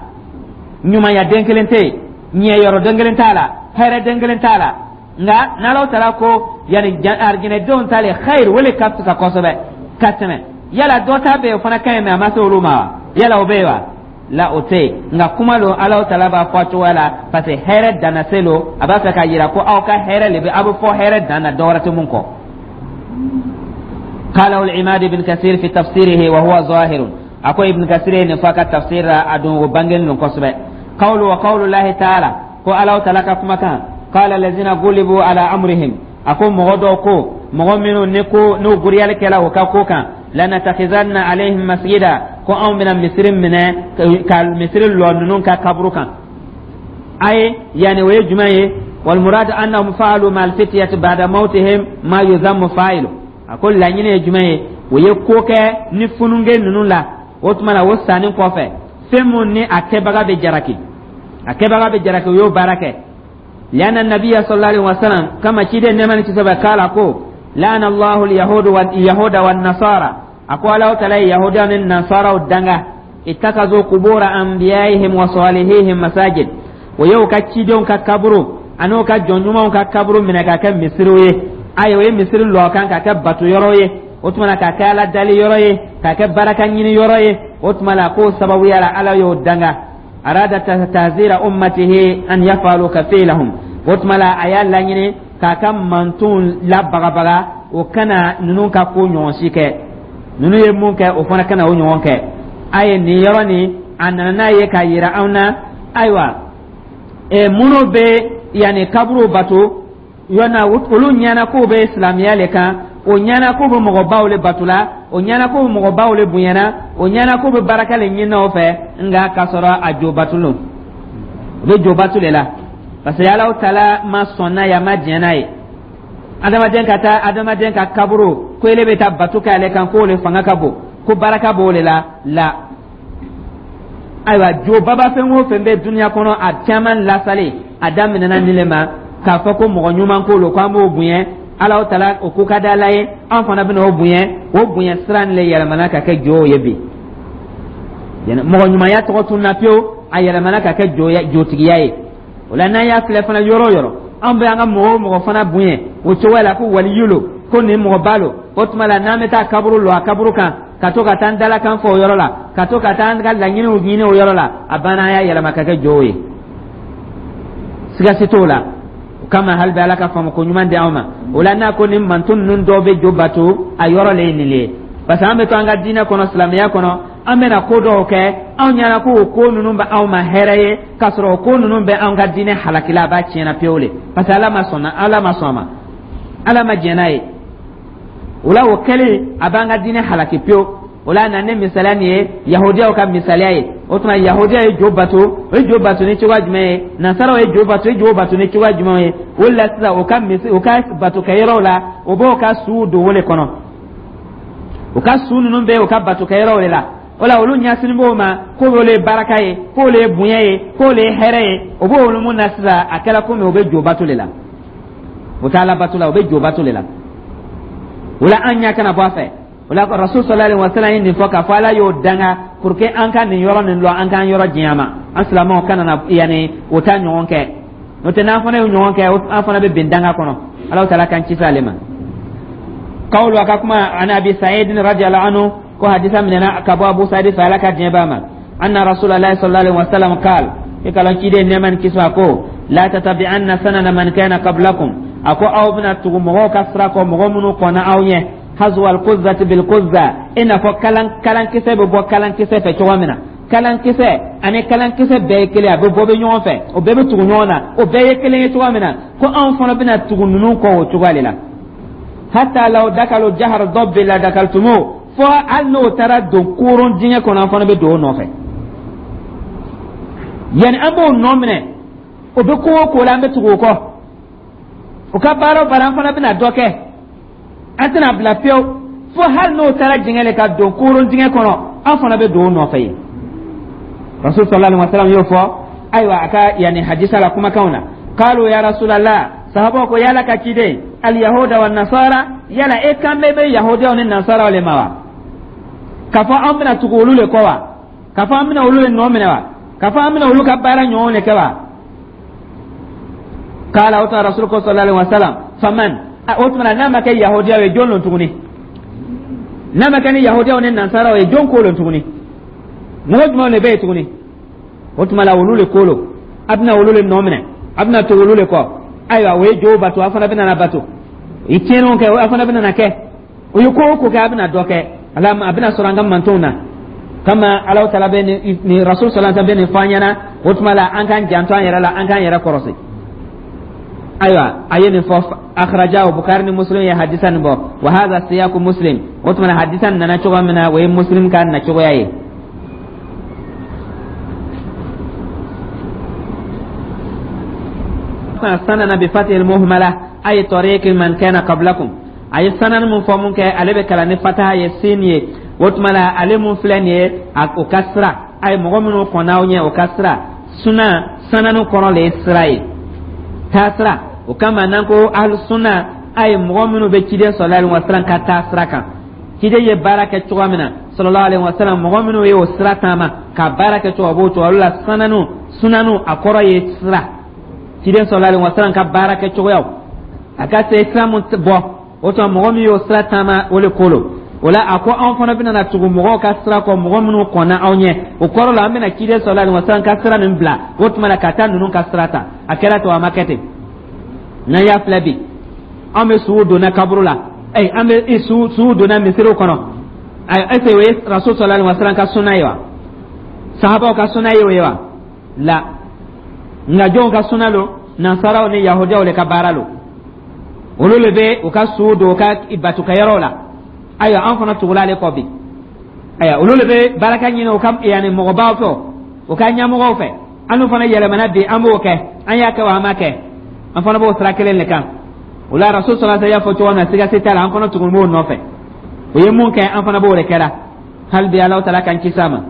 ɲumanya den kelen tɛ yen, ɲɛ yɔrɔ den kelen t'a la, hɛrɛ den kelen t'a la. Nka n'Ala taara ko yanni arijinɛdenw ta le khayr, o le ka fisa kosɛbɛ ka tɛmɛ. Yala dɔ ta bɛ yen, o fana ka ɲi, mɛ a ma se olu ma wa? Yala o bɛ yen wa? La, o tɛ yen. Nka kuma lo, Ala taala b'a fɔ a cogoya la, parce que hɛrɛ danna se lo, a b'a fɛ k'a yira ko aw ka hɛrɛ le bɛ, aw bɛ fɔ hɛrɛ dan na, dɔ wɛrɛ tɛ mun kɔ. قاله العماد بن كثير في تفسيره وهو ظاهر. أكو ابن كثير نفاك تفسير أدون وبنجن نقصبه. قول وقول الله تعالى ko Ala taala ka kumakan قال الذين غلبوا على أمرهم, a ko mɔgɔ dɔw ko, mɔgɔ minnu ni ko n'u guriyali kɛla o ka ko kan, لنتخذن عليهم مسجدا, ko anw bɛna misiri minɛ ka misiri lɔ ninnu ka kaburu kan. Aye yani o ye jumɛn ye? والمراد أنهم فعلوا مع الفتية بعد موتهم ما يذم فاعله. A ko laɲini ye jumɛn ye? O ye ko kɛ ni fununge ninnu la, o tuma na o sanni kɔfɛ, fɛn mun ni a kɛbaga bɛ jaraki, a kɛbaga bɛ jaraki, o y'o baara kɛ. لأن النبي صلى الله عليه وسلم كما شيد نمان كسبة قال كو لعن الله اليهود واليهود والنصارى. أقول الله تعالى يهود والنصارى والدنگا اتخذوا قبور أنبيائهم وصالحيهم مساجد. ويو كتشيدون ككبرو an'o ka jɔn ɲumanw ka kaburu minɛ ka kɛ misiriw ye. Ayi, o ye misiri lɔ kan ka kɛ bato yɔrɔ ye, o tuma na ka kɛ Ala dali yɔrɔ ye, ka kɛ baraka ɲini yɔrɔ ye. O tuma na k'o sababuya la, Ala y'o danga. أراد تحذير أمته أن يفعلوا كفعلهم. O tuma la a y'a laɲini k'a ka mantonw labagabaga, o kana ninnu ka ko ɲɔgɔn si kɛ. Ninnu ye mun kɛ, o fana kana o ɲɔgɔn kɛ. A ye nin yɔrɔ nin, a nana n'a ye k'a yira anw na. Ayiwa, minnu bɛ yanni kaburu bato yɔna, olu ɲɛna k'o bɛ silamɛya le kan, o ɲɛna k'o bɛ mɔgɔbaw le bato la, o ɲɛna k'o bɛ mɔgɔbaw le bonyana, o ɲɛna k'o bɛ baraka le ɲinina o fɛ, nka k'a sɔrɔ a jo bato lo, o bɛ jo bato le la, parce que Alahu Taala ma sɔn n'a ye, a ma diɲɛ n'a ye. Adamaden ka taa adamaden ka kaburu ko ele bɛ taa bato kɛ ale kan, k'o le fanga ka bon, ko baraka b'o le la la. Ayiwa, jo baba fɛn o fɛn bɛ dunuya kɔnɔ, a caman lasalen, a daminɛna nin le ma, k'a fɔ ko mɔgɔ ɲuman ko lo, k'an b'o bonya, Alahu Taala o ko ka di Ala ye, an fana bɛna o bonya. O bonya sira nin le yɛlɛmana ka kɛ jo ye bi. Mɔgɔ ɲumanya tɔgɔ tununa pewu, a yɛlɛmana ka kɛ jotigiya ye. O la, n'an y'a filɛ fana, yɔrɔ o yɔrɔ, an bɛ an ka mɔgɔ o mɔgɔ fana bonya o cogoya la, ko waliyu lo, ko nin mɔgɔba lo, o tuma la n'an bɛ taa kaburu lɔ a kaburu kan, ka to ka taa an dalakan fɔ o yɔrɔ la, ka to ka taa an ka laɲiniw ɲini o yɔrɔ la, a banna, an y'a yɛlɛma ka kɛ jow ye, siga si t'o la. O kama, hali bi Ala ka faamu ko ɲuman di anw ma. O la, n'a ko ni manton ninnu dɔw bɛ jo bato, a yɔrɔ le ye nin le ye, parce que an bɛ to an ka diinɛ kɔnɔ, silamɛya kɔnɔ, an bɛna ko dɔw kɛ, anw ɲɛna ko o ko ninnu bɛ anw ma hɛrɛ ye, k'a sɔrɔ o ko ninnu bɛ anw ka diinɛ halakila, a b'a tiɲɛna pewu le, parce que Ala ma sɔn, Ala ma sɔn a ma, Ala ma jɛn n'a ye. O la, o kɛlen, a b'an ka diinɛ halaki pewu. O la, O la na ni misaliya nin ye, yahudiyaw ka misaliya ye. O tuma yahudiyaw ye jo bato, o ye jo bato ni cogoya jumɛn ye? Nasaraw ye jo bato, o ye jo bato ni cogoya jumɛn ye? O la sisan, o ka misi, o ka batokɛyɔrɔw la, o b'o ka suw don o le kɔnɔ. O ka su ninnu bɛ o ka batokɛyɔrɔw de la. O la, olu ɲɛsinin b'o ma k'o le ye baraka ye, k'o le ye bonya ye, k'o le ye hɛrɛ ye. O b'o olu mun na sisan, a kɛra komi o bɛ jo bato de la, o t'a la bato la, o bɛ jo bato de la. O la, an ɲɛ kana bɔ a fɛ. O la, Rasul sallallahu alaihi wa sallam ye nin fɔ k'a fɔ Ala y'o danga pour que an ka nin yɔrɔ nin lɔn, an k'an yɔrɔ janya ma, an silamɛw kana na yanni o ta ɲɔgɔn kɛ. N'o tɛ, n'an fana y'o ɲɔgɔn kɛ, an fana bɛ bin danga kɔnɔ. Ala taala k'an kisi ale ma. Kawulu, a ka kuma, an Abi Sa'id radiyallahu anhu, ko hadisa minɛna ka bɔ Abu Sa'id fɛ, Ala ka diɲɛ b'a ma, anna Rasulullah sallallahu alaihi wa sallam qal, i kalan ciden nɛɛma ni kisi ko: la tatabi'anna sanana man kana qablakum. A ko aw bɛna tugu mɔgɔw ka sira kɔ, mɔgɔ minnu kɔnna aw ɲɛ, hazwa alquzzati bilquzza, i n'a fɔ kalan kalankisɛ bɛ bɔ kalankisɛ fɛ cogo min na. Kalankisɛ ani kalankisɛ bɛɛ ye kelen, a bɛ bɔ bɛ ɲɔgɔn fɛ, o bɛɛ bɛ tugu ɲɔgɔn na, o bɛɛ ye kelen ye cogo min na, ko anw fana bɛna tugu ninnu kɔ o cogoya de la. Hatta law dakalu jahar dabbi la dakaltumu, fo hali n'o taara don koron dingɛ kɔnɔ, an fana bɛ don o nɔfɛ. Yani an b'o nɔ minɛ, o bɛ ko o ko la, an bɛ tugu o kɔ. O ka baara o baara, an fana bɛna dɔ kɛ, an tɛna bila fiyewu, fo hali n'o taara dingɛ le ka don koron dingɛ kɔnɔ, an fana bɛ don o nɔfɛ yen. Rasul sallallahu alaihi wa sallam y'o fɔ, ayiwa, a ka yanni hadisa la kumakanw na. Qalu ya Rasulallah, sahabaw ko: yala ka ciden, al yahuda wa nasara, yala e kan bɛ bɛ yahudiyaw ni nasaraw le ma wa, k'a fɔ an bɛna tugu olu le kɔ wa, k'a fɔ an bɛna olu le nɔ minɛ wa, k'a fɔ an bɛna olu ka baara ɲɔgɔn le kɛ wa? Kala, o tuma Rasul ko sallallahu alaihi wa sallam: faman? O tuma n'a ma kɛ yahudiyaw ye, jɔn lon tuguni? N'a ma kɛ ni yahudiyaw ni nasaraw ye, jɔn ko lon tuguni? Mɔgɔ jumɛnw de bɛ yen tuguni? O tuma la, olu le ko lo, a bɛna olu le nɔ minɛ, a bɛna tugu olu le kɔ. Ayiwa, o ye jow bato, a fana bɛna na bato. O ye tiɲɛniw kɛ, a fana bɛna na kɛ. O ye ko o ko kɛ, a bɛna dɔ kɛ. Ala a bɛna sɔrɔ an ka mantonw na kama Ala taala bɛ nin, Rasul sallallahu alaihi wasallam bɛ nin fɔ an ɲɛna. O tuma la, an k'an janto an yɛrɛ la, an k'an yɛrɛ kɔrɔsi. Ayiwa, a ye nin fɔ, akhrajahu, Bukari ni Muslim ye hadisa nin bɔ. Wa hadha siyaku Muslim. O tuma na, hadisa nana cogo min na, o ye Muslim ka nacogoya ye. Sanana bi fatihil muhmala, ay tariqi man kana qablakum. A ye sanan mun fɔ mun kɛ, ale bɛ kalan ni fataha ye, sin ye. O tuma la, ale mun filɛ nin ye, o ka sira, a ye mɔgɔ minnu kɔnna aw ɲɛ, o ka sira. Suna sananu kɔrɔ le ye sira ye, taasira. O kama n'an ko ahlu sunna, a ye mɔgɔ minnu bɛ ciden sallallahu alaihi wasallam ka taasira kan, ciden ye baara kɛ cogo min na sallallahu alaihi wasallam, mɔgɔ minnu ye o sira taama ka baara kɛ cogo, o b'o cogo la. Sananu, sunanu, a kɔrɔ ye sira, ciden sallallahu alaihi wasallam ka baara kɛ cogoyaw, a ka se sira mun bɔ. O tuma, mɔgɔ min y'o sira taama, o le ko lo. O la, a ko anw fana bɛna na tugu mɔgɔw ka sira kɔ, mɔgɔ minnu kɔnna aw ɲɛ. O kɔrɔ la, an bɛna ciden sallallahu alaihi wasallam ka sira nin bila, o tuma na ka taa ninnu ka sira ta. A kɛra ten, a ma kɛ ten. N'an y'a filɛ bi, an bɛ suw donna kaburu la, an bɛ suw donna misiriw kɔnɔ. Est ce que o ye Rasul sallallahu alaihi wasallam ka sunna ye wa? Sahabaw ka sunna ye o ye wa? La, nka jɔnw ka sunna lo? Nansaraw ni yahudiyaw le ka baara lo. Olu le bɛ u ka suw don u ka batukɛyɔrɔw la. Ayiwa, an fana tugula ale kɔ bi. Ayiwa, olu le bɛ baraka ɲini u ka yanni mɔgɔbaw fɛ, u ka ɲɛmɔgɔw fɛ. An fana yɛlɛmana bi, an b'o kɛ. An y'a kɛ wa, an m'a kɛ? An fana b'o sira kelen de kan. O la, Rasul sallallahu alaihi wasallam y'a fɔ cogo min na, siga si t'a la, an fana tugun b'o nɔfɛ. O ye mun kɛ, an fana b'o de kɛra. Hali bi, Ala taala k'an kisi a ma.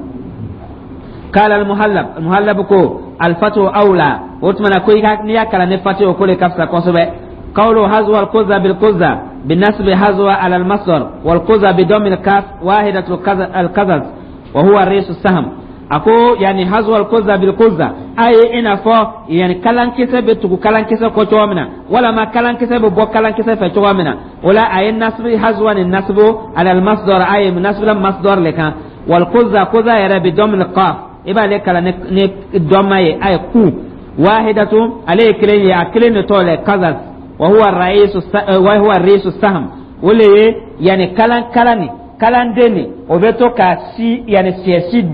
قال المهلب، المهلب ko الفتح أولى. O tuma na, ko i ka n'i y'a kalan ni fatu, o ko le ka fisa kosɛbɛ. قوله حذو القزة بالقزة بالنصب حذو على المصدر، والقزة بضم الكاف واحدة القزز، وهو ريش السهم. Ako yani hazwa alquza bilquza, aye i n'a fɔ yani kalankisɛ bɛ tugu kalankisɛ kɔ cogo min na, walama kalankisɛ bɛ bɔ kalankisɛ fɛ cogo min na. O la, a ye nasbi hazwa ni nasbu ala almasdar, aye nasbu la masdar le kan. Walquza, quza yɛrɛ, bi dɔmil qaf, i b'ale kalan ni dɔma ye, a ye ku wahidatu, ale ye kelen ye, a kelen de tɔgɔ le qazaz, wa huwa raisu wa huwa risu saham. O le ye yani kalan kalan ni kalanden nin, o bɛ to ka si yanni siyɛsi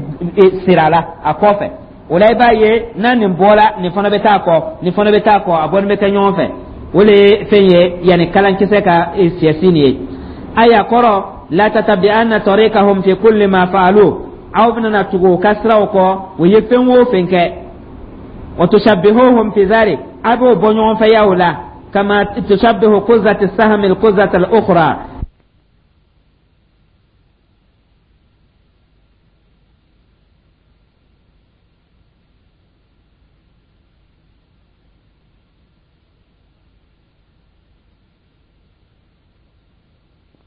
sira la a kɔfɛ. O la, i b'a ye n'a nin bɔra, nin fana bɛ taa kɔ, nin fana bɛ taa kɔ, a bɔni bɛ kɛ ɲɔgɔn fɛ. O le ye fɛn ye, yanni kalankisɛ ka siyɛsi nin ye. Ayiwa, kɔrɔ La tatabi'anna tariqahum fi kulli ma fa'alu, aw bɛna tugu u ka siraw kɔ, u ye fɛn o fɛn kɛ. Wa tushabbihuhum fi dhalik, a b'o bɔ ɲɔgɔn fɛ yaw la, kama tushabbihu quzati sahmi al-quzata al-ukhra.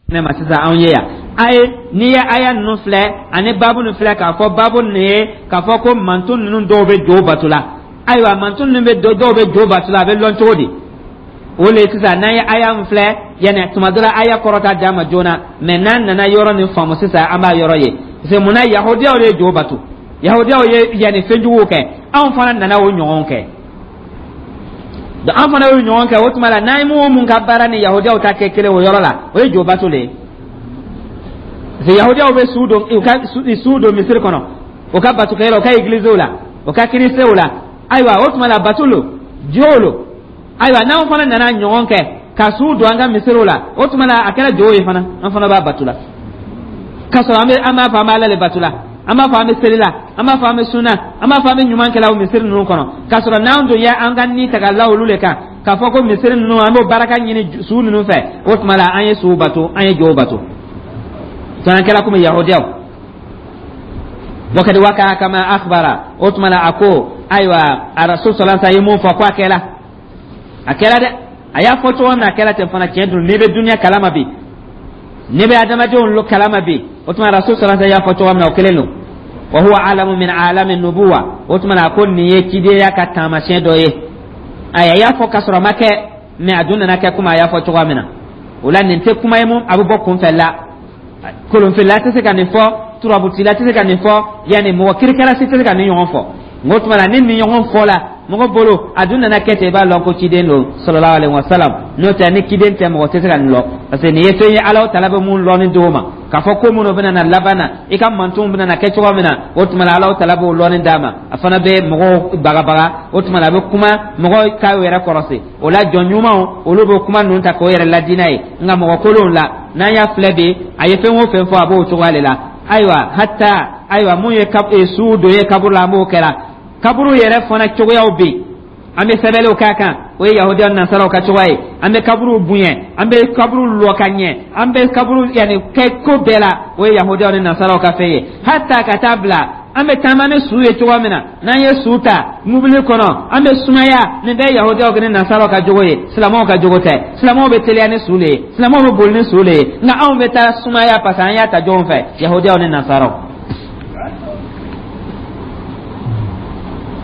Ne ma sisan anw ye yan, a ye n'i ye aya ninnu filɛ ani baabu ninnu filɛ, k'a fɔ baabu ninnu ye k'a fɔ ko mantun ninnu dɔw bɛ jo bato la. Ayiwa, mantun ninnu bɛ dɔw bɛ jo bato la, a bɛ lɔn cogo di? O le sisan n'an ye aya min filɛ, yanni tuma dɔ la aya kɔrɔ t'a d'an ma joona, mɛ n'an nana yɔrɔ nin faamu sisan, an b'a yɔrɔ ye. Parce que munna yahudiyaw de ye jo bato? Yahudiyaw ye yanni fɛnjuguw kɛ, anw fana nana o ɲɔgɔn kɛ. Donc an fana y'o ɲɔgɔn kɛ. O tuma la, n'an ye mun mun ka baara ni yahudiyaw ta kɛ kelen o yɔrɔ la, o ye jo bato le ye. Parce que yahudiyaw bɛ su don, u ka su don misiri kɔnɔ, u ka batokɛyɔrɔ, u ka egiliziw la, u ka kirisew la. Ayiwa, o tuma la, bato lo, jo lo. Ayiwa, n'anw fana nana ɲɔgɔn kɛ ka su don an ka misiriw la, o tuma la a kɛra jo ye fana, an fana b'a bato la. K'a sɔrɔ an bɛ an b'a fɔ an b'a Ala le bato la, an b'a fɔ an bɛ seli la, an b'a fɔ an bɛ sunna, an b'a fɔ an bɛ ɲuman kɛla o misiri ninnu kɔnɔ, k'a sɔrɔ n'an dun ye an ka ni ta ka la olu le kan, k'a fɔ ko misiri ninnu an b'o baraka ɲini su ninnu fɛ, o tuma la an ye suw bato, an ye jow bato. An kɛra komi yahudiyaw. Wakadi waka kama akhbara. O tuma la a ko ayiwa, a rasul sallallahu alaihi wasallam ye mun fɔ ko a kɛla, a kɛra dɛ. A y'a fɔ cogo min na, a kɛra ten fana. Tiɲɛ dun, n'i bɛ duniya kalama bi, n'i bɛ adamadenw kalama bi, o tuma rasul sallallahu alaihi wasallam y'a fɔ cogo min na, o kelen don. Wa huwa alamu min alami nubuwa. O tuma na a ko nin ye cidenya ka taamasiyɛn dɔ ye. Ayi, a y'a fɔ k'a sɔrɔ a ma kɛ, mɛ a dun nana kɛ komi a y'a fɔ cogoya min na. O la, nin tɛ kuma ye mun a bɛ bɔ kunfɛ la. Kolonfilila tɛ se ka nin fɔ, turabutila tɛ se ka nin fɔ, yanni mɔgɔ kirikara si tɛ se ka nin ɲɔgɔn fɔ. N ko tuma na, ni nin ɲɔgɔn fɔ la mɔgɔ bolo, a dun nana kɛ ten, i b'a lɔn ko ciden don sallallahu alaihi wasallam. N'o tɛ, ni ciden tɛ, mɔgɔ tɛ se ka nin lɔn, parce que nin ye fɛn ye Ala tala bɛ mun lɔnni d'o ma, k'a fɔ ko minnu bɛna na laban na, i ka mantonw bɛna na kɛ cogo min na. O tuma na Ala tala b'o lɔnni d'a ma, a fana bɛ mɔgɔw bagabaga. O tuma na a bɛ kuma mɔgɔw k'a yɛrɛ kɔrɔsi. O la, jɔn ɲumanw, olu bɛ kuma ninnu ta k'o yɛrɛ ladi n'a ye, nka mɔgɔ kolonw la, n'an y'a filɛ bi, a ye fɛn o fɛn fɔ, a b'o cogoya de la. Ayiwa, hatta ayiwa, mun ye su don ye kaburu la, an b'o kɛra. Kaburu yɛrɛ fana cogoyaw bɛ yen, an bɛ sɛbɛnniw k'a kan, o ye yahudiya nasaraw ka cogoya ye. An bɛ kaburu bonya, an bɛ kaburu lɔ ka ɲɛ, an bɛ kaburu yanni kɛ ko bɛɛ la, o ye yahudiyaw ni nasaraw ka fɛn ye. Hatta ka taa bila an bɛ taama ni su ye cogoya min na, n'an ye su ta mobili kɔnɔ, an bɛ sumaya, nin bɛɛ ye yahudiyaw ni nasaraw ka jogo ye, silamɛw ka jogo tɛ. Silamɛw bɛ teliya ni su le ye, silamɛw bɛ boli ni su le ye, nka anw bɛ taa sumaya parce que an y'a ta jɔnw fɛ? Yahudiyaw ni nasaraw.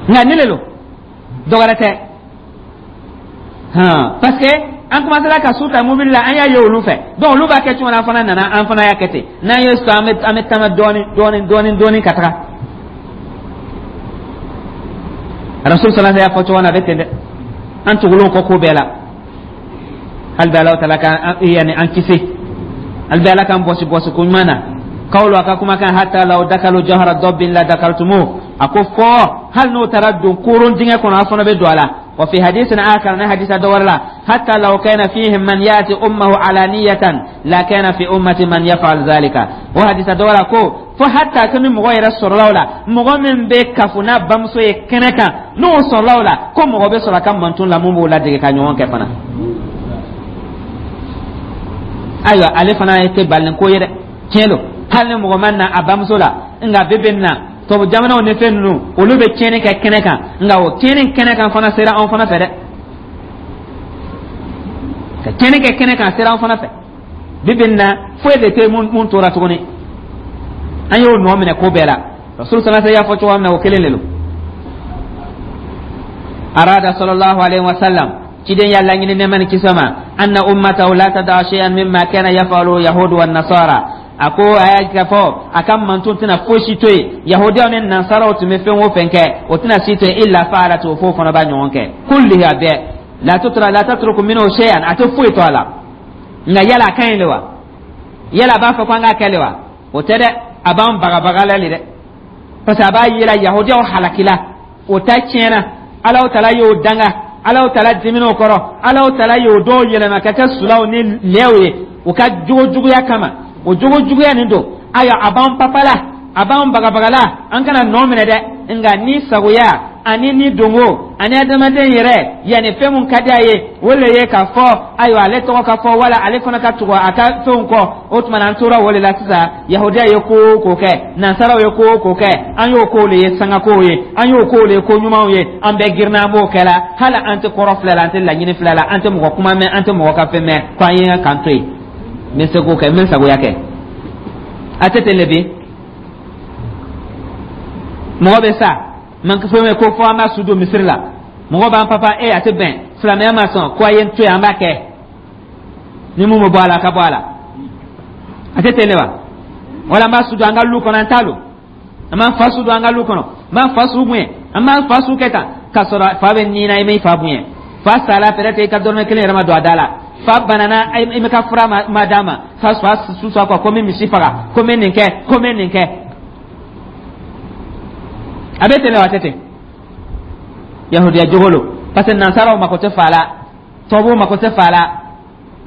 Nka ne le lo, dɔ wɛrɛ tɛ han, parce que an commencera ka su ta mobili la, an y'a ye olu fɛ. Donc olu b'a kɛ cogo min na, an fana nana, an fana y'a kɛ ten. N'an ye su, an bɛ taama dɔɔni dɔɔni dɔɔni dɔɔni ka taga. Rasul sallallahu alaihi wasallam y'a fɔ cogo min na, a bɛ ten dɛ. An tugulen kɔ ko bɛɛ la, hali bi Alahu taala ka yanni an kisi, hali bi Ala k'an bɔsi bɔsi ko ɲuman na. Kawlo a ka kumakan, hatta law dakalu jahara dabbin la dakaltumu, a ko fɔ hali n'o taara don koron dingɛ kɔnɔ, a fana bɛ don a la. Wa fi hadisin akar, na hadisa dɔ wɛrɛ la, hatta law kana fihim man yati ummahu alaniyatan la kana fi ummati man yaf'al zalika. O hadisa dɔ wɛrɛ la ko fo hatta ko ni mɔgɔ yɛrɛ sɔrɔla o la, mɔgɔ min bɛ kafo n'a bamuso ye kɛnɛ kan, n'o sɔrɔla o la, ko mɔgɔ bɛ sɔrɔ a ka manton la mun b'o ladege ka ɲɔgɔn kɛ fana. Ayiwa, ale fana tɛ balinen ko ye dɛ. Tiɲɛ don, hali ni mɔgɔ ma na a bamuso la, nka bi bi in na tubabu jamanaw ni fɛn ninnu, olu bɛ tiɲɛni kɛ kɛnɛ kan, nka o tiɲɛni kɛnɛ kan fana sera anw fana fɛ dɛ. Ka tiɲɛni kɛ kɛnɛ kan sera anw fana fɛ bi bi in na. Foyi de tɛ mun tora tuguni, an y'o nɔ minɛ ko bɛɛ la. Rasul sallallahu alaihi wasallam y'a fɔ cogoya min na, o kelen de don. Arada sallallahu alaihi wasallam, ciden y'a laɲini nɛɛma ni kisi ma, anna ummatahu la tada'a shay'an mimma kana yaf'alu yahudu wan nasara. A ko a y'a k'a fɔ a ka manton tɛna fosi to yen, yahudiyaw ni nansaraw tun bɛ fɛn o fɛn kɛ, o tɛna si to yen, illa fa'alat, o f'o fana b'a ɲɔgɔn kɛ, kullihi, a bɛɛ, la tutra la tatruku minhu shay'an, a tɛ foyi to a la. Nka yala a ka ɲi de wa? Yala a b'a fɔ ko an k'a kɛ de wa? O tɛ dɛ, a b'an bagabaga la de dɛ, parce que a b'a yira yahudiyaw halakila, o ta tiɲɛna, Alahu tala y'o danga, Alahu tala dimin'o kɔrɔ, Alahu tala y'o dɔw yɛlɛma ka kɛ sulaw ni lɛw ye u ka jogo juguya kama. O jogo juguya nin don. Ayiwa, a b'an papala, a b'an bagabagala, an kana nɔ minɛ dɛ. Nka ni sagoya ani ni dongo ani adamaden yɛrɛ, yanni fɛn mun ka di a ye, o le ye k'a fɔ ayiwa, ale tɔgɔ ka fɔ wala ale fana ka tugu a ka fɛnw kɔ. O tuma na, an tora o de la sisan. Yahudiya ye ko o ko kɛ, nansaraw ye ko o ko kɛ, an y'o kow le ye sangakow ye, an y'o kow le ye ko ɲumanw ye. An bɛɛ girinna, an b'o kɛ la. Hali an tɛ kɔrɔ filɛ la, an tɛ laɲini filɛ la, an tɛ mɔgɔ kuma mɛn, an tɛ mɔgɔ ka fɛn mɛn, ko an ye k'an to yen. N bɛ se k'o kɛ, n bɛ n sagoya kɛ. A tɛ ten le bi. Mɔgɔ bɛ sa, man fɛn bɛ ko fɔ an b'a su don misiri la, mɔgɔ b'an papa e a tɛ bɛn, silamɛya ma sɔn ko a ye n to yen, an b'a kɛ ni mun bɛ bɔ a la, a ka bɔ a la. A tɛ ten de wa? Wala an b'a su don an ka lu kɔnɔ, an t'a lon, an b'an fa su don an ka lu kɔnɔ, an b'an fa su bonya, an b'an fa su kɛ tan, k'a sɔrɔ fa bɛ nin na, i m'i fa bonya. Fa sala, peut-être i ka dɔrɔmɛ kelen yɛrɛ ma don a da la. Fa banana, i ma ka fura ma d'a ma. Fa su sɔ kɔ ko n bɛ misi faga, ko n bɛ nin kɛ, ko n bɛ nin kɛ. A bɛ ten de wa? A tɛ ten? Yahudiya jogo lo, parce que nansaraw mako tɛ fa la, tubabuw mako tɛ fa la,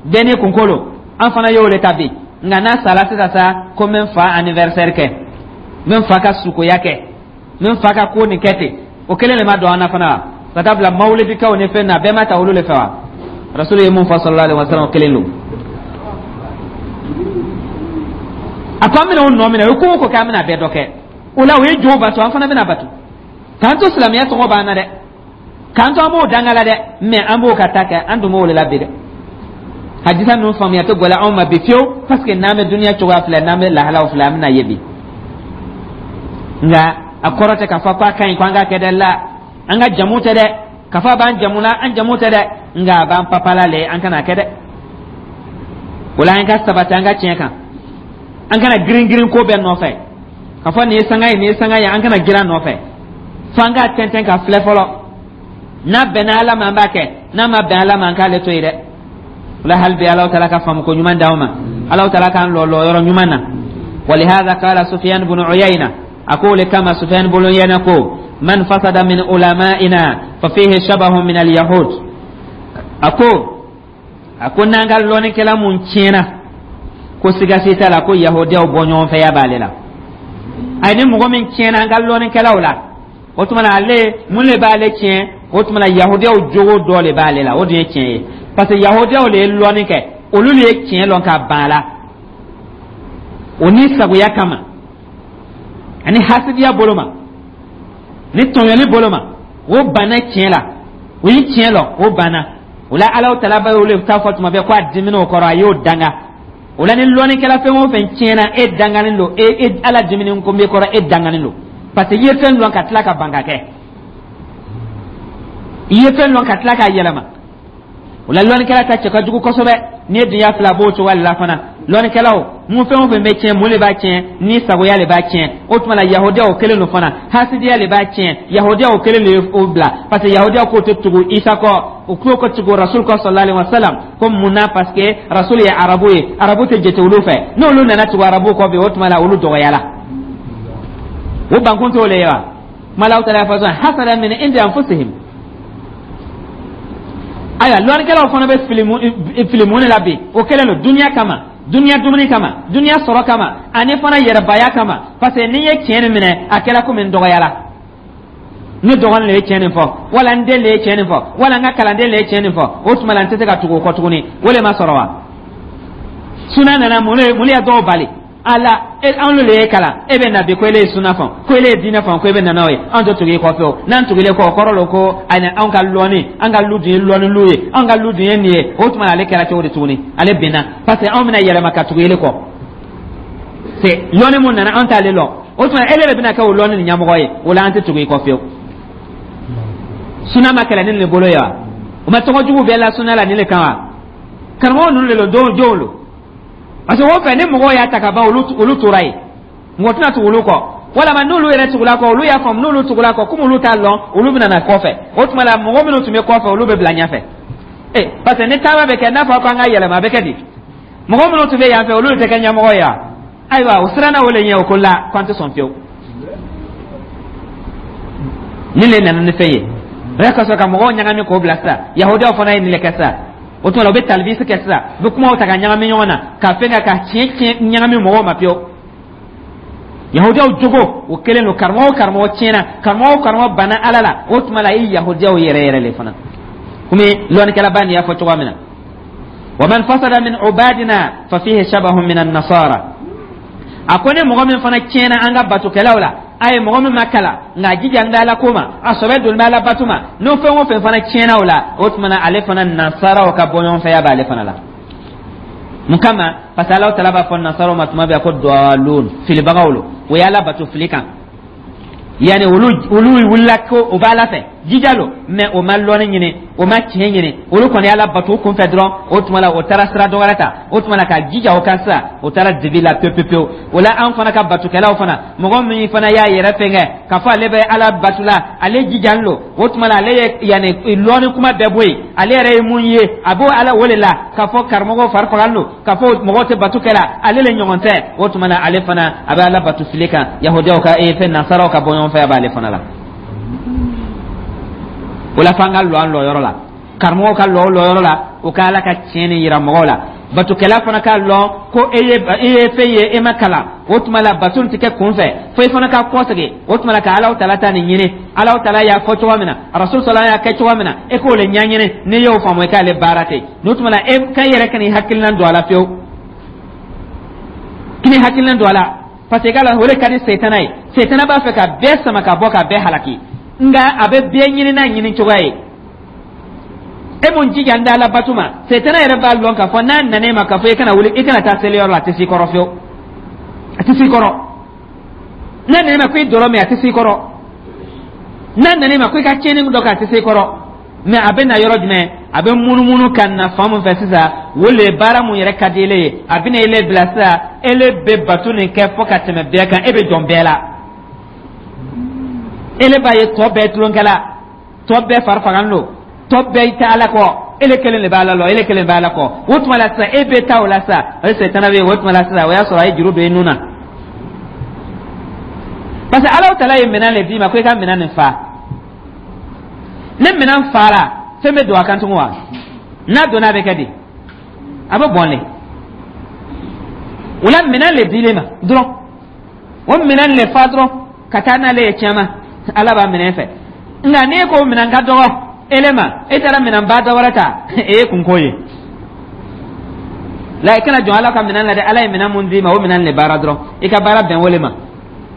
bɛɛ n'i kunko lo. An fana y'o de ta bi. Nka n'a sala sisan sa, ko n bɛ n fa anniversaire kɛ, n bɛ n fa ka sukoya kɛ, n bɛ n fa ka ko nin kɛ ten. O kelen de ma don an na fana wa? Ka taa bila mawulidikaw ni fɛn na, bɛɛ ma ta olu de fɛ wa? Rasulu ye mun fɔ, sallallahu alaihi wa sallam, o kelen don. A ko an bɛna o nɔ minɛ, o ye ko o ko kɛ, an bɛna bɛɛ dɔ kɛ o la. O ye jo bato, an fana bɛna bato. K'an to silamɛya tɔgɔ b'an na dɛ, k'an to an b'o danga la dɛ, mɛ an b'o ka ta kɛ, an dun b'o de la bi dɛ. Hadisa ninnu faamuya tɛ gɛlɛya anw ma bi fiyewu, parce que n'an bɛ duniya cogoya filɛ, n'an bɛ lahalaw filɛ, an bɛna ye bi. Nka a kɔrɔ tɛ k'a fɔ k'a ka ɲi ko an k'a kɛ dɛ. La, an ka jamu tɛ dɛ, k'a fɔ a b'an jamu la, an jamu tɛ dɛ, nka a b'an papala le, an kana kɛ dɛ. O la, an ka sabati an ka tiɲɛ kan, an kana girin girin ko bɛɛ nɔfɛ, k'a fɔ nin ye sanga ye, nin ye sanga ye. An kana girin a nɔfɛ fo an k'a tɛntɛn ka filɛ fɔlɔ. N'a bɛnna Ala ma, an b'a kɛ. N'a ma bɛn Ala ma, an k'ale to yen dɛ. O la, hali bi Alahu taala ka faamu ko ɲuman d'anw ma, Alahu taala k'an lɔ lɔ yɔrɔ ɲuman na. ولهذا قال سفيان بن عيينة, أقول كما سفيان بن عيينة ko من فسد من علمائنا ففيه شبه من اليهود. A ko n'an ka lɔnnikɛla mun tiɲɛna, ko siga si t'a la ko yahudiyaw bɔ ɲɔgɔn fɛ ya b'ale la. Ayi, ni mɔgɔ min tiɲɛna an ka lɔnnikɛlaw la, o tuma na, ale mun de b'ale tiɲɛ? O tuma na, yahudiyaw jogo dɔ de b'ale la. O dun ye tiɲɛ ye, parce que yahudiyaw de ye lɔnni kɛ, olu de ye tiɲɛ lɔn ka ban a la, o ni sagoya kama ani hasidiya bolo ma, ni tɔɲɔli bolo ma, o banna tiɲɛ la. O ye tiɲɛ lɔn, o banna o la. Alahu tala b'a y'olu t'a fɔ tuma bɛɛ ko a dimina o kɔrɔ, a y'o danga. O la, ni lɔnnikɛla fɛn o fɛn tiɲɛna, e danganen don, e Ala diminen ko b'e kɔrɔ, e danganen don, parce que i ye fɛn lɔn ka tila ka ban ka kɛ, i ye fɛn lɔn ka tila k'a yɛlɛma. O la, lɔnnikɛla ta cɛ ka jugu kosɛbɛ. N'i ye dunya fila b'o cogoya de la fana. Lɔnnikɛlaw mun, fɛn o fɛn bɛ tiɲɛ, mun de b'a tiɲɛ? Ni sagoya de b'a tiɲɛ. O tuma la, yahudiyaw kelen don fana, hasidiya de b'a tiɲɛ. Yahudiyaw kelen de ye o bila, parce que yahudiyaw k'o tɛ tugu Isa kɔ, u k'o ka tugu rasul kɔ, sallallahu alaihi wa sallam. Ko mun na? Parce que rasul ye arabu ye, arabu tɛ jate olu fɛ. N'olu nana tugu arabu kɔ bi, o tuma la, olu dɔgɔyala. O bankun t'o le ye wa? Kuma la, taala fɔ hasadan min indi anfusihim. Ayiwa, lɔnnikɛlaw fana bɛ fili mun de la bi? O kɛlen don duniya kama, duniya dumuni kama, duniya sɔrɔ kama, ani fana yɛrɛbaya kama, parce que n'i ye tiɲɛ nin minɛ, a kɛra komi n dɔgɔyala. Ne dɔgɔnin de ye tiɲɛ nin fɔ, wala n den de ye tiɲɛ nin fɔ, wala n ka kalanden de ye tiɲɛ nin fɔ. O tuma la, n tɛ se ka tugu o kɔ tuguni. O de ma sɔrɔ wa? Suna nana, mun de ye dɔw bali ala? E anw de ye kalan, e bɛ na bi ko ele ye suna fɔ, ko ele ye diinɛ fɔ, ko e bɛ na n'o ye. Anw tɛ tugu i kɔ fiyewu. N'an tugulen kɔ, o kɔrɔ lo ko ani anw ka lɔnni, an ka lu dun ye lɔnni lu ye, anw ka lu dun ye nin ye. O tuma ale kɛra cogo di tuguni? Ale binna, parce que anw bɛna yɛlɛma ka tugu ele kɔ. C'est lɔnni mun nana, anw t'ale lɔn. O tuma ele de bɛna kɛ o lɔnni nin ɲɛmɔgɔ ye. O la, an tɛ tugu i kɔ fiyewu. Suna ma kɛlɛ ni nin bolo ye wa? O ma tɔgɔ jugu bɛɛ la suna la nin de kan wa? Karamɔgɔ ninnu de don, don jɔnw don, parce que o fɛ ni mɔgɔw y'a ta ka ban, olu tora yen, mɔgɔ tɛna tugu olu kɔ. Walama n'olu yɛrɛ tugula kɔ, olu y'a faamu, n'olu tugula kɔ, komi olu t'a lɔn, olu bɛna na kɔfɛ. O tuma la, mɔgɔ minnu tun bɛ kɔfɛ, olu bɛ bila ɲɛfɛ. E, parce que ni taama bɛ kɛ, n'a fɔra ko an ka yɛlɛma, a bɛ kɛ di? Mɔgɔ minnu tun bɛ yan fɛ, olu tɛ kɛ ɲɛmɔgɔ ye wa? Ayiwa, o siranna o le ɲɛ, o ko la k'an tɛ sɔn fiyewu. Nin le nana ni fɛn ye, o y'a ka sɔrɔ ka mɔgɔw ɲagami k'o bila sisan. Yahudiyaw fana ye nin le kɛ sisan. O tuma la, u bɛ talibisi kɛ sisan, u bɛ kumaw ta ka ɲagami ɲɔgɔn na, ka fɛn kɛ ka tiɲɛ tiɲɛ ɲagami mɔgɔw ma pewu. Yahudiyaw jogo o kelen don. Karamɔgɔ o karamɔgɔ tiɲɛna, karamɔgɔ o karamɔgɔ banna Ala la, o tuma la, i yahudiyaw yɛrɛ yɛrɛ le fana, komi lɔnnikɛlaba nin y'a fɔ cogoya min na: wa man fasada min ubadina fa fihi shabahun min an-nasara. A ko ni mɔgɔ min fana tiɲɛna an ka batokɛlaw la, a ye mɔgɔ min ma kalan nka a jija n bɛ Ala ko ma, a sɔbɛ doni bɛ Ala bato ma, n'o fɛn o fɛn fana tiɲɛna o la, o tuma na, ale fana, nasaraw ka bɔɲɔgɔnfɛya b'ale fana la. Mun kama? Parce que Ala tala b'a fɔ nasaraw ma tuma bɛɛ ko dɔlon, filibagaw lo. O ye Ala bato fili kan, yanni olu wulila ko o b'Ala fɛ, jija lo, mais o ma lɔnni ɲini, o ma tiɲɛ ɲini. Olu kɔni y'Ala bato u kunfɛ dɔrɔn. O tuma la, o taara sira dɔ wɛrɛ ta. O tuma la, ka jija o kan sisan, o taara dibi la pewu pewu pewu. O la, an fana ka batokɛlaw fana, mɔgɔ min fana y'a yɛrɛ fɛnkɛ k'a fɔ ale bɛ Ala bato la, ale jijalen lo, o tuma la, ale ye yanni lɔnni kuma bɛɛ bɔ yen, ale yɛrɛ ye mun ye, a b'o Ala o de la, k'a fɔ karamɔgɔw fari fagalen don, k'a fɔ mɔgɔw tɛ bato kɛ la, ale le ɲɔgɔn tɛ, o tuma la, ale fana a bɛ Ala bato fili kan. Yahudiyaw ka fɛn, nasaraw ka bɔ ɲɔgɔn fɛ, a b'ale fana la. O la, f'an ka lɔ an lɔyɔrɔ la, karamɔgɔw ka lɔ o lɔyɔrɔ la, o ka Ala ka tiɲɛ nin yira mɔgɔw la. Batokɛla fana k'a lɔn ko e ye fɛn ye, e ma kalan, o tuma la, bato tɛ kɛ kun fɛ fo i fana ka kɔsegin. O tuma la, ka Alaw tala ta nin ɲini, Alaw tala y'a fɔ cogo min na, Rasul sɔlɔ y'a kɛ cogo min na, e k'o le ɲɛɲini. N'i y'o faamu, i k'ale baara ten. N'o tuma la, e ka yɛrɛ ka n'i hakilina don a la fiyewu, k'i hakilina don a la, parce que k'a la, o de ka di Sɛtana ye. Sɛtana b'a fɛ ka bɛɛ sama ka bɔ, ka bɛɛ halaki, nka a bɛ bɛɛ ɲini n'a ɲini cogoya ye. E mun jija n da Ala bato ma, Sɛtana yɛrɛ b'a lɔn k'a fɔ n'a nana e ma k'a fɔ i kana wuli, i kana taa seliyɔrɔ la, a tɛ s'i kɔrɔ fiyewu, a tɛ s'i kɔrɔ. N'a nana e ma ko i dɔlɔ min, a tɛ s'i kɔrɔ. N'a nana e ma ko i ka tiɲɛni dɔ kɛ, a tɛ s'i kɔrɔ. Mais a bɛ na yɔrɔ jumɛn? A bɛ munumunu ka na fan mun fɛ sisan, o le baara mun yɛrɛ ka di ele ye. A bɛna ele bila sisan, ele bɛ bato nin kɛ fo ka tɛmɛ bɛɛ kan, e bɛ jɔn bɛɛ la, ele b'a ye tɔ bɛɛ tulonkɛla, tɔ bɛɛ fari fagalen don, tɔ bɛɛ tɛ Ala kɔ, ele kelen de b'a la lɔ, ele kelen b'a la kɔ. O tuma la sisan, e bɛ taa o la sisan, o ye Sɛtana bɛ yen. O tuma la sisan, o y'a sɔrɔ a ye juru don i nun na, parce que Ala tala ye minɛn de d'i ma ko i ka minɛn nin fa. Ni minɛn fara, fɛn bɛ don a kan tugun wa? N'a donna, a bɛ kɛ di? A bɛ bɔn le. O la, minɛn le dilen ma dɔrɔn, o minɛn le fa dɔrɔn ka taa n'ale ye tiɲɛ ma, Ala b'a minɛ fɛ. Nka n'e ko minɛn ka dɔgɔ ele ma, e taara minɛnba dɔ wɛrɛ ta, e ye kunko ye la. I kana jɔn Ala ka minɛn la dɛ. Ala ye minɛn mun d'i ma, o minɛn le baara dɔrɔn, i ka baara bɛn o le ma,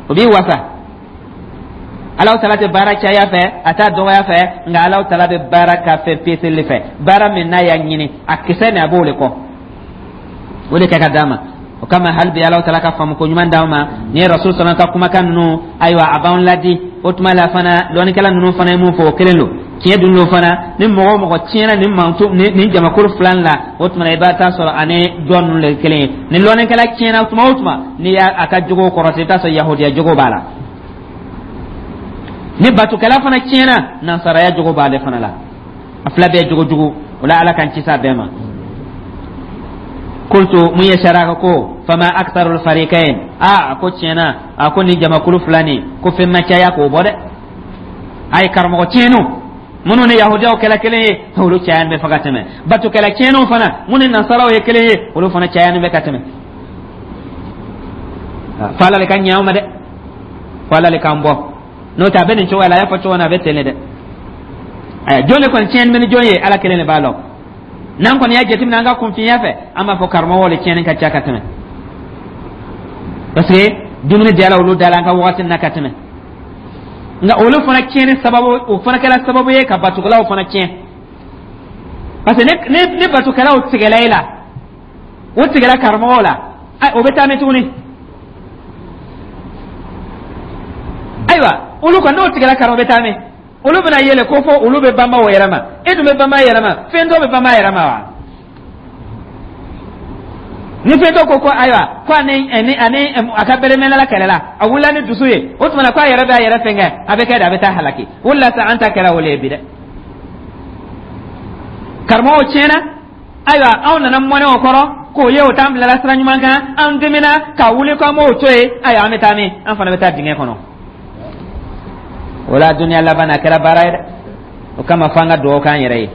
o b'i wasa. Alaw tala tɛ baara caya fɛ, a t'a dɔgɔya fɛ, nka Alaw tala bɛ baara ka fɛn peseli fɛ. Baara min n'a y'a ɲini, a kisɛ nin, a b'o de kɔ, o de kɛ ka d'a ma. O kama, hali bi, Alaw tala ka faamu ko ɲuman d'anw ma. Ni ye Rasul sɔnna ka kumakan ninnu, ayiwa, a b'anw ladi. O tuma la fana, lɔnnikɛla ninnu fana ye mun fɔ, o kelen don, tiɲɛ dun don fana. Ni mɔgɔ o mɔgɔ tiɲɛna nin manto nin jamakulu fila la, o tuma la, i b'a taa sɔrɔ ani dɔ ninnu le kelen ye. Ni lɔnnikɛla tiɲɛna tuma o tuma, n'i y'a a ka jogo kɔrɔta, i bɛ taa sɔrɔ yahudiya jogo b'a la. Ni batukɛla fana tiɲɛna, nansaraya jogo b'ale fana la. A fila bɛɛ jogo jugu. O la, Ala k'an kisi a bɛɛ ma. Kultu, mun ye saraka ko fama aktharul farikain. A ko tiɲɛna, a ko ni jamakulu fila nin ko fɛn ma caya k'o bɔ dɛ. A ye karamɔgɔ tiɲɛniw minnu ni yahudiyaw kɛla kelen ye, olu cayani bɛ fɛ ka tɛmɛ. Batukɛla tiɲɛniw fana, minnu ni nasaraw ye kelen ye, olu fana cayani bɛ ka tɛmɛ. Fo Ala le ka ɲɛ anw ma dɛ, fo Ala le k'an bɔ. N'o tɛ, a bɛ nin cogoya la, a y'a fɔ cogo min na, a bɛ ten de dɛ. Aya, jɔn de kɔni tiɲɛni bɛ ni jɔn ye, Ala kelen de b'a lɔn. N'an kɔni y'a jateminɛ an ka kunfinya fɛ, an b'a fɔ karamɔgɔw de tiɲɛni ka ca ka tɛmɛ, parce que dumuni diyara olu da la an ka wagati na ka tɛmɛ. Nka olu fana tiɲɛni sababu, o fana kɛra sababu ye ka batukɛlaw fana tiɲɛ, parce que ni batukɛlaw tigɛla e la, o tigɛla karamɔgɔw la, o bɛ taa min tuguni? Ayiwa, olu kɔni, n'o tigɛla karamɔgɔ, bɛ taa min? Olu bɛna yɛlɛ ko fɔ olu bɛ banba o yɛrɛ ma. E dun bɛ banba yɛrɛ ma, fɛn dɔ bɛ banba yɛrɛ ma wa? Ni fɛn dɔ ko ayiwa, ko ani a ka bɛrɛmɛnala kɛlɛ la, a wulila ni dusu ye, o tuma na ko a yɛrɛ bɛ a yɛrɛ fɛn kɛ, a bɛ kɛ de, a bɛ taa halaki. O de la sa, an ta kɛra o le ye bi dɛ. Karamɔgɔw tiɲɛna, ayiwa, anw nana mɔnɛ o kɔrɔ k'o ye, o t'an bilala sira ɲuman kan, an dimina ka wuli k'an b'o to yen. Ayiwa, an bɛ taa min? An fana bɛ taa dingɛ kɔnɔ. O la, duniya laban a kɛra baara ye dɛ. O kama, f'an ka dugawu k'an yɛrɛ ye.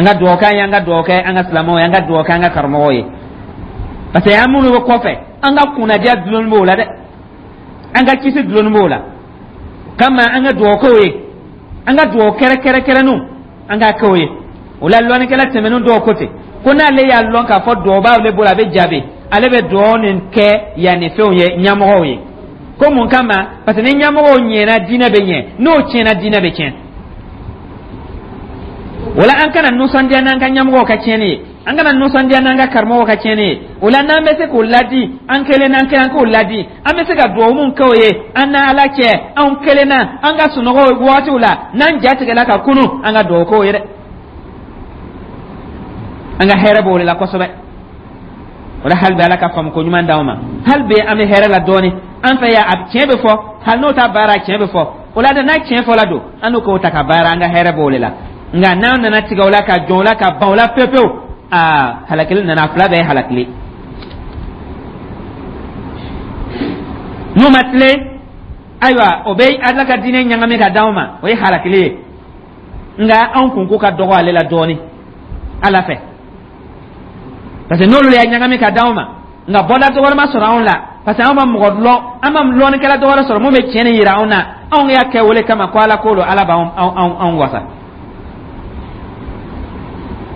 An ka dugawu k'an ye, an ka dugawu kɛ an ka silamɛw ye, an ka dugawu kɛ an ka karamɔgɔw ye, parce que an minnu bɛ kɔfɛ, an ka kunnadiya dulonnen b'o la dɛ, an ka kisi dulonnen b'o la. O kama an ka dugawu k'o ye, an ka dugawu kɛrɛkɛrɛkɛrɛnninw an k'a k'o ye. O la lɔnnikɛla tɛmɛnen dɔw ko ten ko n'ale y'a lɔn k'a fɔ dugawu b'ale bolo, a bɛ jaabi, ale bɛ dugawu nin kɛ yanni fɛnw ye, ɲɛmɔgɔw ye. Ko mun kama? Parce que ni ɲɛmɔgɔw ɲɛna, diinɛ bɛ ɲɛ, n'o tiɲɛna, diinɛ bɛ tiɲɛ. O la an kana nisɔndiya n'an ka ɲɛmɔgɔw ka tiɲɛni ye, an kana nisɔndiya n'an ka karamɔgɔw ka tiɲɛni ye. O la n'an bɛ se k'o ladi an kelen n'an kelen, an k'o ladi. An bɛ se ka dugawu mun kɛ o ye an n'Ala cɛ, anw kelen na, an ka sunɔgɔ wagatiw la, n'an ja tigɛla ka kunu, an ka dugawu k'o ye dɛ. An ka hɛrɛ b'o de la kosɛbɛ. O la hali bi Ala ka faamu ko ɲuman d'anw ma. Hali bi an bɛ hɛrɛ la dɔɔni an fɛ yan, a tiɲɛ bɛ fɔ, hali n'o ta baara tiɲɛ bɛ fɔ. O la dɛ, n'a tiɲɛ fɔla don, an n'o k'o ta ka baara, an ka hɛrɛ b'o de la. Nka n'an nana tigɛ o la, ka jɔn o la, ka ban o la pewu pewu, aa, halakili nana, a fila bɛɛ ye halakili. N'u ma tilen, ayiwa, o bɛ Ala ka diinɛ ɲagami ka d'anw ma, o ye halakili ye. Nka anw kunko ka dɔgɔ ale la dɔɔni Ala fɛ, parce que n'olu y'a ɲagami ka d'anw ma, nka bɔda dɔ wɛrɛ ma sɔrɔ anw la, parce que anw ma mɔgɔ lɔn, an ma lɔnnikɛla dɔ wɛrɛ sɔrɔ mun bɛ tiɲɛ nin yira anw na. Anw y'a kɛ wele kama ko Ala ko don, Ala b'anw anw wasa.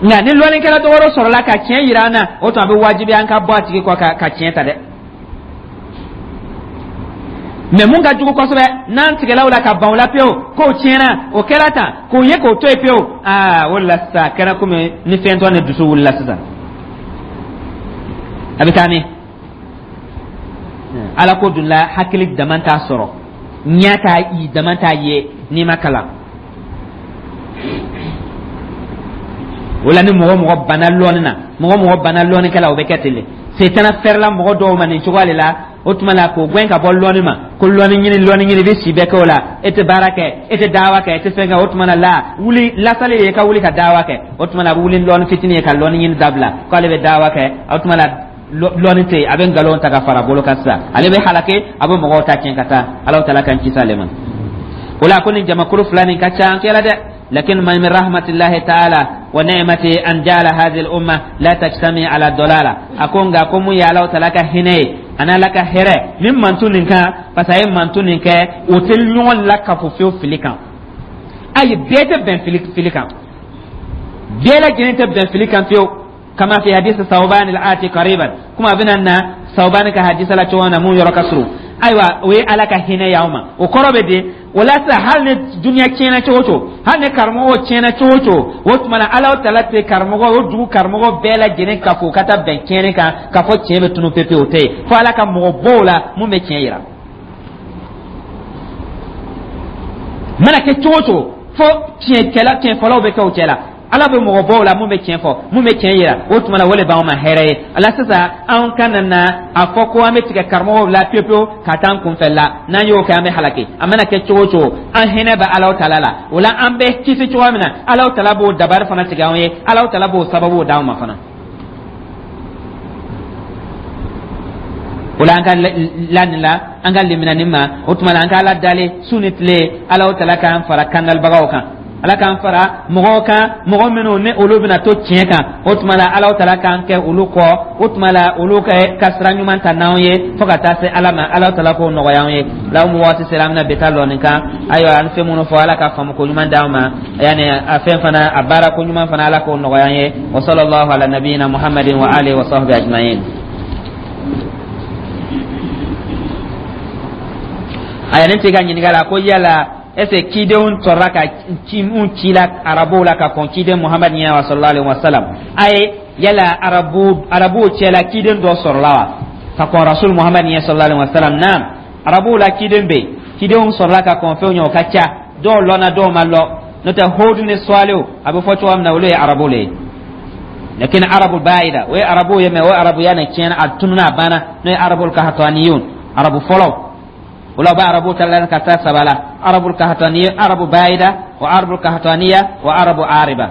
Nka ni lɔnnikɛla dɔ wɛrɛ sɔrɔla ka tiɲɛ yira an na, o tuma a bɛ wajibi an ka bɔ a tigi kɔ ka tiɲɛ ta dɛ. Mɛ mun ka jugu kosɛbɛ, n'an tigɛla o la ka ban o la pewu k'o tiɲɛna, o kɛra tan, k'o ye k'o to yen pewu, aa, o de la sisan a kɛra komi ni fɛn tɔ ni dusu wulila sisan, a bɛ taa min Ala ko dun la, hakili dama t'a sɔrɔ, ɲɛ t'a i dama t'a ye n'i ma kalan. O la ni mɔgɔ mɔgɔ banna lɔnni na, mɔgɔ mɔgɔ banna lɔnnikɛla, o bɛ kɛ ten de. Setana fɛrɛla mɔgɔ dɔw ma nin cogoya de la. O tuma la k'o gɛn ka bɔ lɔnni ma, ko lɔnni ɲini, lɔnni ɲini, i bɛ si bɛɛ kɛ o la, e tɛ baara kɛ, e tɛ dawa kɛ, e tɛ fɛn kɛ. O tuma la wuli lasali ye ka wuli ka dawa kɛ. O tuma la a bɛ wuli lɔnni fitinin ye ka lɔnni ɲini dabila k'ale bɛ dawa kɛ. O tuma la lɔnni tɛ yen, a bɛ nkalon ta ka fara bolo kan sisan, ale bɛ halake, a bɛ mɔgɔw ta tiɲɛ ka taa. Alahu taala k'an kisi ale ma. O la ko nin jamakulu fila nin ka ca an kɛra dɛ. لكن من رحمة الله تعالى ونعمته أن جعل هذه الأمة لا تجتمع على الضلالة. أكون أكون يا الله تعالى هني أنا لك هرة من منتون كان فسأي منتون كان وتلنون لك فيو فيلكان أي بيت بن فيلكان بيلا جنت بن فيلكان فيو كما في حديث ثوبان الآتي قريبا كما بنا ثوبان كحديث لا توانا مو يركسرو. Ayiwa, o ye Ala ka hinɛ y'aw ma. O kɔrɔ bɛ di? O la sisan, hali ni duniya tiɲɛna cogo o cogo, hali ni karamɔgɔw tiɲɛna cogo o cogo, o tuma na Ala tala tɛ karamɔgɔ o dugu karamɔgɔ bɛɛ lajɛlen ka fɔ ka taa bɛn tiɲɛni kan, k'a fɔ tiɲɛ bɛ tunu pepe, o tɛ yen, fo Ala ka mɔgɔ bɔ o la mun bɛ tiɲɛ yira. Mana kɛ cogo o cogo, fo tiɲɛkɛla tiɲɛfɔlaw bɛ kɛ o cɛ la, Ala bɛ mɔgɔ bɔ o la mun bɛ tiɲɛ fɔ, mun bɛ tiɲɛ yira. O tuma na o de b'anw ma hɛrɛ ye. Ala sisan anw kana na a fɔ ko an bɛ tigɛ karamɔgɔw la pewu pewu ka taa an kunfɛ la. N'an y'o kɛ, an bɛ halaki. A mana kɛ cogo o cogo, an hinɛ bɛ Alahu taala la. O la an bɛ kisi cogoya min na, Alahu taala b'o dabari fana tigɛ anw ye, Alahu taala b'o sababuw d'anw ma fana. O la an ka la nin la, an ka limina nin ma. O tuma na an ka Ala dali su ni tile, Alahu taala k'an fara kandalibagaw kan, Ala k'an fara mɔgɔw kan, mɔgɔ minnu ni olu bɛna to tiɲɛ kan. O tuma la Alahu taala k'an kɛ olu kɔ. O tuma la olu ka sira ɲuman ta n'anw ye fo ka taa se Ala ma. Alahu taala k'o nɔgɔya anw ye. Law mu waati sera, an bɛna bi ta lɔ nin kan. Ayiwa, an fɛn minnu fɔ, Ala ka faamu ko ɲuman d'an ma, yanni a fɛn fana a baara ko ɲuman fana, Ala k'o nɔgɔya an ye. Wa sallallahu ala nabiyina Muhammadin wa alihi wa sahbihi ajma'in. Aya, ne tɛ ka ɲininka la ko yala est ce que cidenw sɔrɔla ka ci mun ci la arabuw la ka kɔn ciden Muhamad ɲɛ wa sallallahu alaihi wa sallam? Ayi, yala arabuw cɛla ciden dɔ sɔrɔla wa ka kɔn rasul Muhamad ɲɛ sallallahu alaihi wa sallam? Naam, arabuw la ciden bɛ yen, cidenw sɔrɔla ka kɔn fɛnw ɲɛ, o ka ca, dɔw lɔnna, dɔw ma lɔ. N'o tɛ Hudu ni Salihu, a bɛ fɔ cogoya min na, olu ye arabuw le ye. Lakin arabu bayida, o ye arabuw ye, mɛ o arabuya nin tiɲɛna, a tununa, a banna. N'o ye arabul kahataniyun, arabu fɔlɔ. O la u bɛ arabu ta la ka taa saba la: arabul kahataniya, arabu bayida wa arabul kahataniya wa arabu ariba.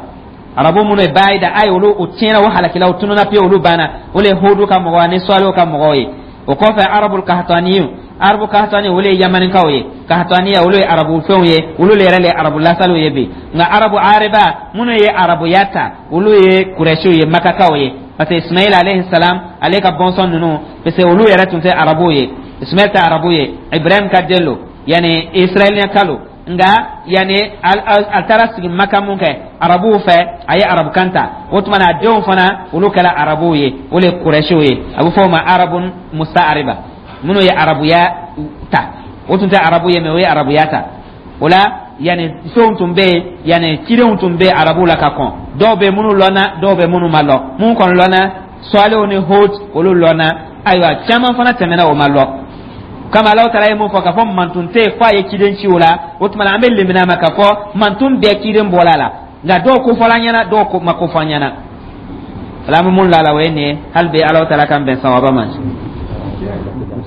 Arabu minnu ye bayida, ayi, olu o tiɲɛna, o halakila, o tununa pewu, olu banna. O le ye Hudu ka mɔgɔw ani Salihu ka mɔgɔw ye. O kɔfɛ arabul kahataniyu, Arabu kahatani, olu ye Yamanikaw ye. Kahataniya, olu ye arabu fɛnw ye, olu le yɛrɛ le ye arabu lasaliw ye bi. Nka arabu ariba minnu ye arabuya ta, olu ye Kurɛsiw ye, Makakaw ye, parce que Ismail alayhi salam, ale ka bɔnsɔn ninnu, parce que olu yɛrɛ tun tɛ arabuw ye. Ismail tɛ arabu ye, Ibrahim ka den lo, yani Israɛliyaka lo. Nka yani a taara sigi Maka mun kɛ arabuw fɛ, a ye arabukan ta. O tuma na, a denw fana, olu kɛra arabuw ye, o le ye Kurɛsiw ye. A bɛ fɔ o ma arabun mustaariba, minnu ye arabuya ta. O tun tɛ arabu ye, mais o ye arabuya ta. O la, yani fɛnw tun bɛ yen, yani cidenw tun bɛ arabuw la ka kɔn. Dɔw bɛ minnu lɔnna, dɔw bɛ minnu ma lɔn. Minnu kɔni lɔnna, Sɔliw ni Hud, olu lɔnna. Ayiwa, caman fana tɛmɛna, o ma lɔn. Kama Alahu taala ye mun fɔ k'a fɔ mantun tɛ yen f'a ye ciden ci o la, o tuma na an bɛ lemina ma k'a fɔ mantun bɛɛ ciden bɔra a la. Nka dɔw ko fɔla an ɲɛna, dɔw ko ma ko fɔ an ɲɛna. Ala an bɛ mun la a la, o ye nin ye. Hali bi Alahu taala k'an bɛn sawaba ma.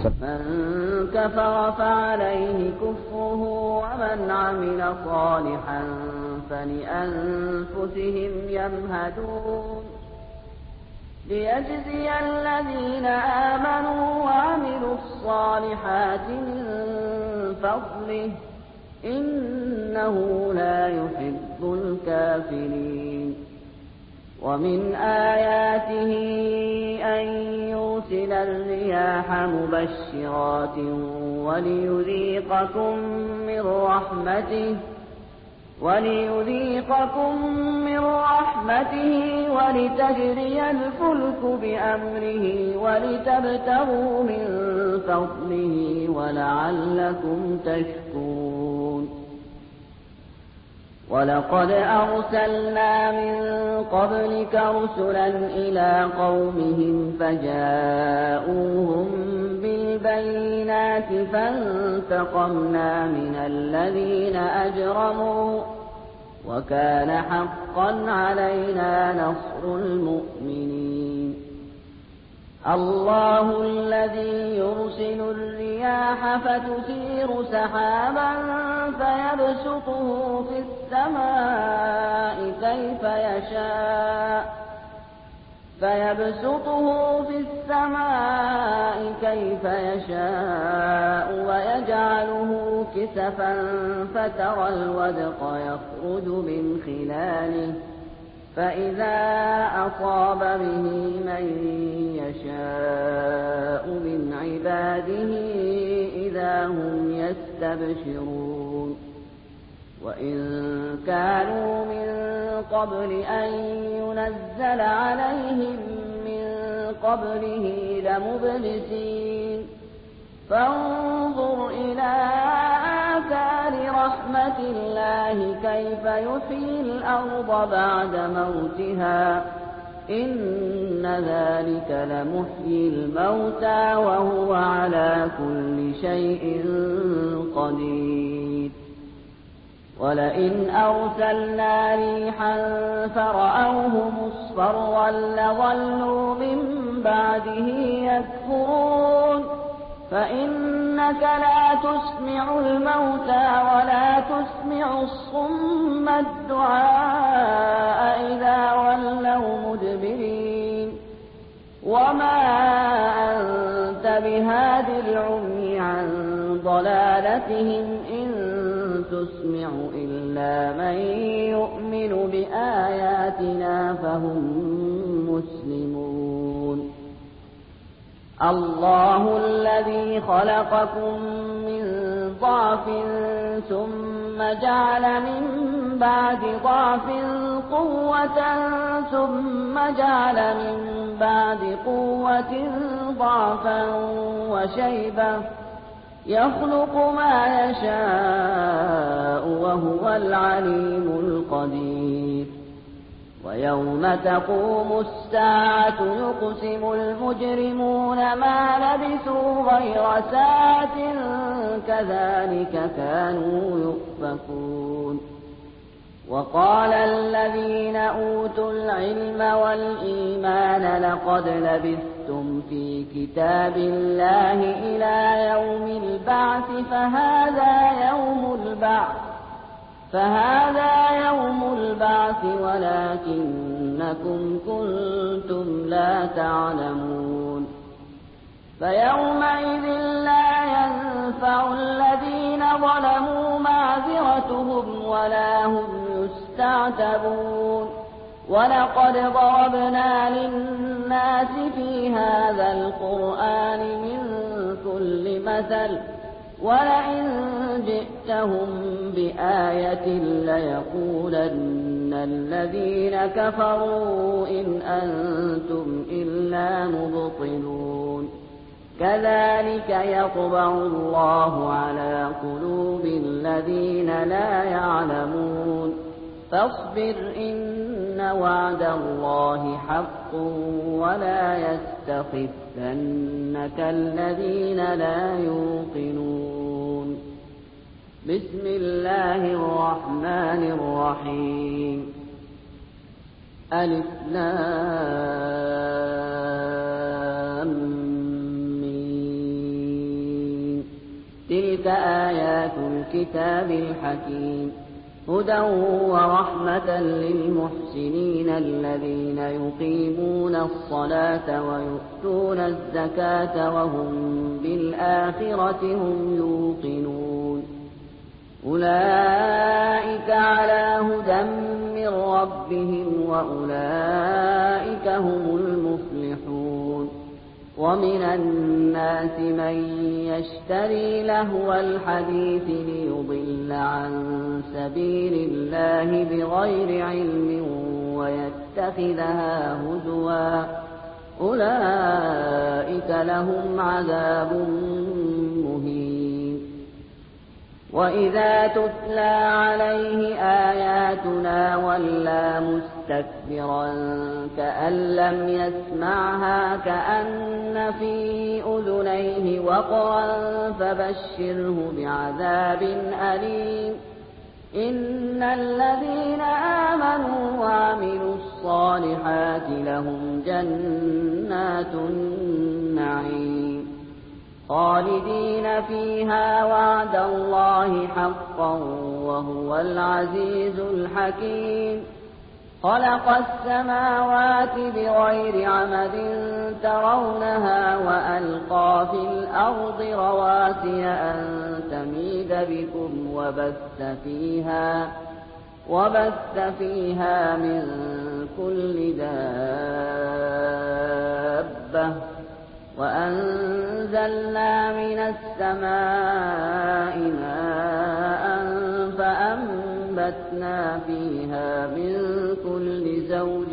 من كفر فعليه كفره ومن عمل صالحا فلأنفسهم يمهدون ليجزي الذين آمنوا وعملوا الصالحات من فضله إنه لا يحب الكافرين ومن آياته أن يرسل الرياح مبشرات وليذيقكم من رحمته ولتجري الفلك بأمره ولتبتغوا من فضله ولعلكم تشكرون ولقد أرسلنا من قبلك رسلا إلى قومهم فجاءوهم بالبينات فانتقمنا من الذين أجرموا وكان حقا علينا نصر المؤمنين الله الذي يرسل الرياح فتثير سحابا فيبسطه في السماء كيف يشاء فيبسطه في السماء كيف يشاء ويجعله كسفا فترى الودق يخرج من خلاله فإذا أصاب به من يشاء من عباده إذا هم يستبشرون وإن كانوا من قبل أن ينزل عليهم من قبله لمبلسين فانظر إلى آثار رحمة الله كيف يحيي الأرض بعد موتها إن ذلك لمحيي الموتى وهو على كل شيء قدير ولئن أرسلنا ريحا فرأوه مصفرا لظلوا من بعده يكفرون فإنك لا تسمع الموتى ولا تسمع الصم الدعاء إذا ولوا مدبرين وما أنت بهاد العمي عن ضلالتهم إن تسمع إلا من يؤمن بآياتنا فهم مسلمون الله الذي خلقكم من ضعف ثم جعل من بعد ضعف قوة ثم جعل من بعد قوة ضعفا وشيبة يخلق ما يشاء وهو العليم القدير ويوم تقوم الساعة يقسم المجرمون ما لبثوا غير ساعة كذلك كانوا يؤفكون وقال الذين أوتوا العلم والإيمان لقد لبثتم في كتاب الله إلى يوم البعث فهذا يوم البعث ولكنكم كنتم لا تعلمون. فيومئذ لا ينفع الذين ظلموا معذرتهم ولا هم يستعتبون. ولقد ضربنا للناس في هذا القرآن من كل مثل ولئن جئتهم بآية ليقولن الذين كفروا إن أنتم إلا مبطلون. كذلك يطبع الله على قلوب الذين لا يعلمون. فاصبر إن وعد الله حق ولا يستخفنك الذين لا يوقنون. بسم الله الرحمن الرحيم. ألف لام ميم. تلك آيات الكتاب الحكيم. هدى ورحمة للمحسنين الذين يقيمون الصلاة ويؤتون الزكاة وهم بالآخرة هم يوقنون. أولئك على هدى من ربهم وأولئك هم المفلحون. ومن الناس من يشتري لهو الحديث ليضل عن سبيل الله بغير علم ويتخذها هزوا. أولئك لهم عذاب مهين. وإذا تتلى عليه آياتنا ولى مستكبرا كأن لم يسمعها كأن في أذنيه وقرا فبشره بعذاب أليم. إن الذين آمنوا وعملوا الصالحات لهم جنات النعيم خالدين فيها وعد الله حقا وهو العزيز الحكيم. خلق السماوات بغير عمد ترونها وألقى في الأرض رواسي أن تميد بكم وبث فيها من كل دابة وأنزلنا من السماء ماء فأنبتنا فيها من كل زوج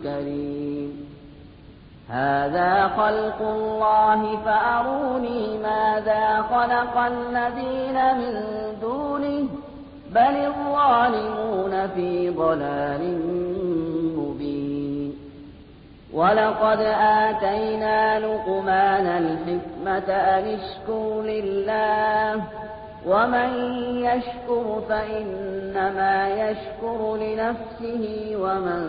كريم. هذا خلق الله فأروني ماذا خلق الذين من دونه بل الظالمون في ضلال مبين. ولقد آتينا لقمان الحكمة أن اشكر لله ومن يشكر فإنما يشكر لنفسه ومن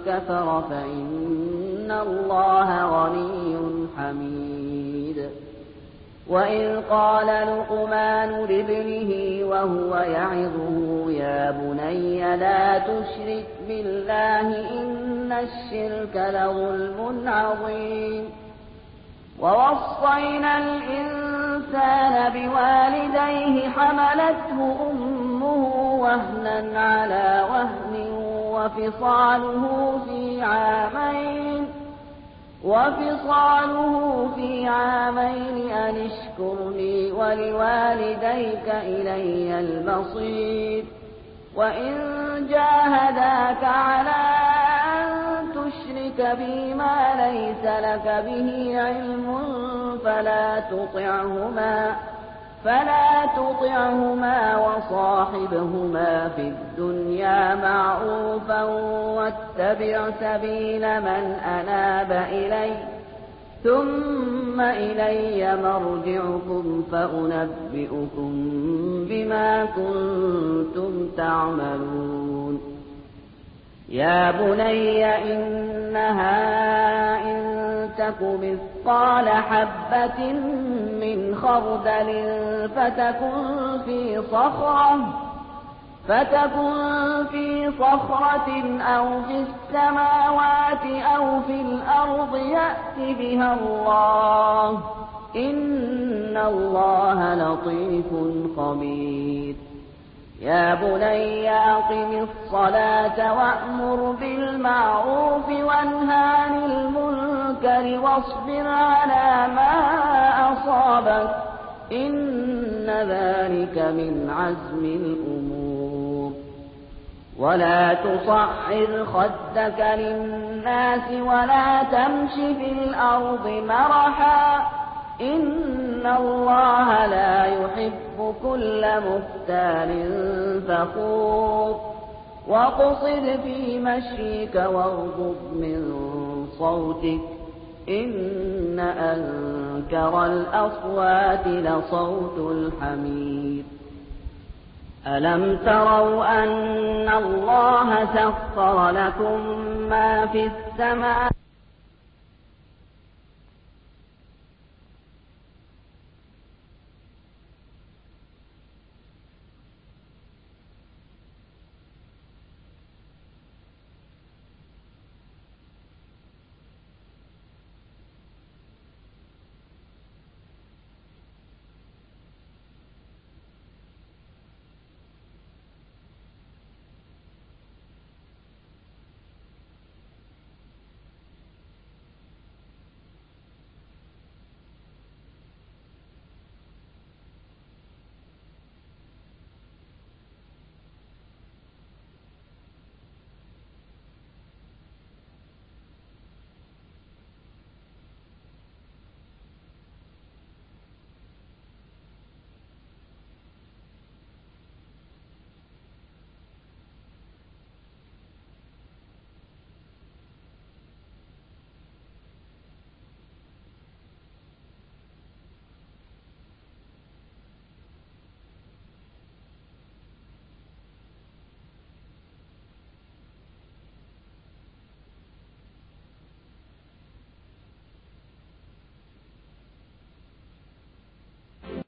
كفر فإن الله غني حميد. وإذ قال لقمان لابنه وهو يعظه يا بني لا تشرك بالله إن الشرك لظلم عظيم. ووصينا الإنسان بوالديه حملته أمه وهنا على وهن وفصاله في عامين أن اشكر لي ولوالديك إلي المصير. وإن جاهداك على أن تشرك بي ما ليس لك به علم فلا تطعهما وصاحبهما في الدنيا معروفا واتبع سبيل من أناب إلي ثم إلي مرجعكم فأنبئكم بما كنتم تعملون. يا بني إنها إن تك مثقال حبة من خردل فتكن في صخرة أو في السماوات أو في الأرض يأت بها الله إن الله لطيف خبير. يا بني أقم الصلاة وأمر بالمعروف وانه عن المنكر واصبر على ما أصابك إن ذلك من عزم الأمور. ولا تصعر خدك للناس ولا تمش في الأرض مرحا إن الله لا يحب كل مختال فخور. واقصد في مشيك واغضض من صوتك إن أنكر الأصوات لصوت الحمير. ألم تروا أن الله سخر لكم ما في السماء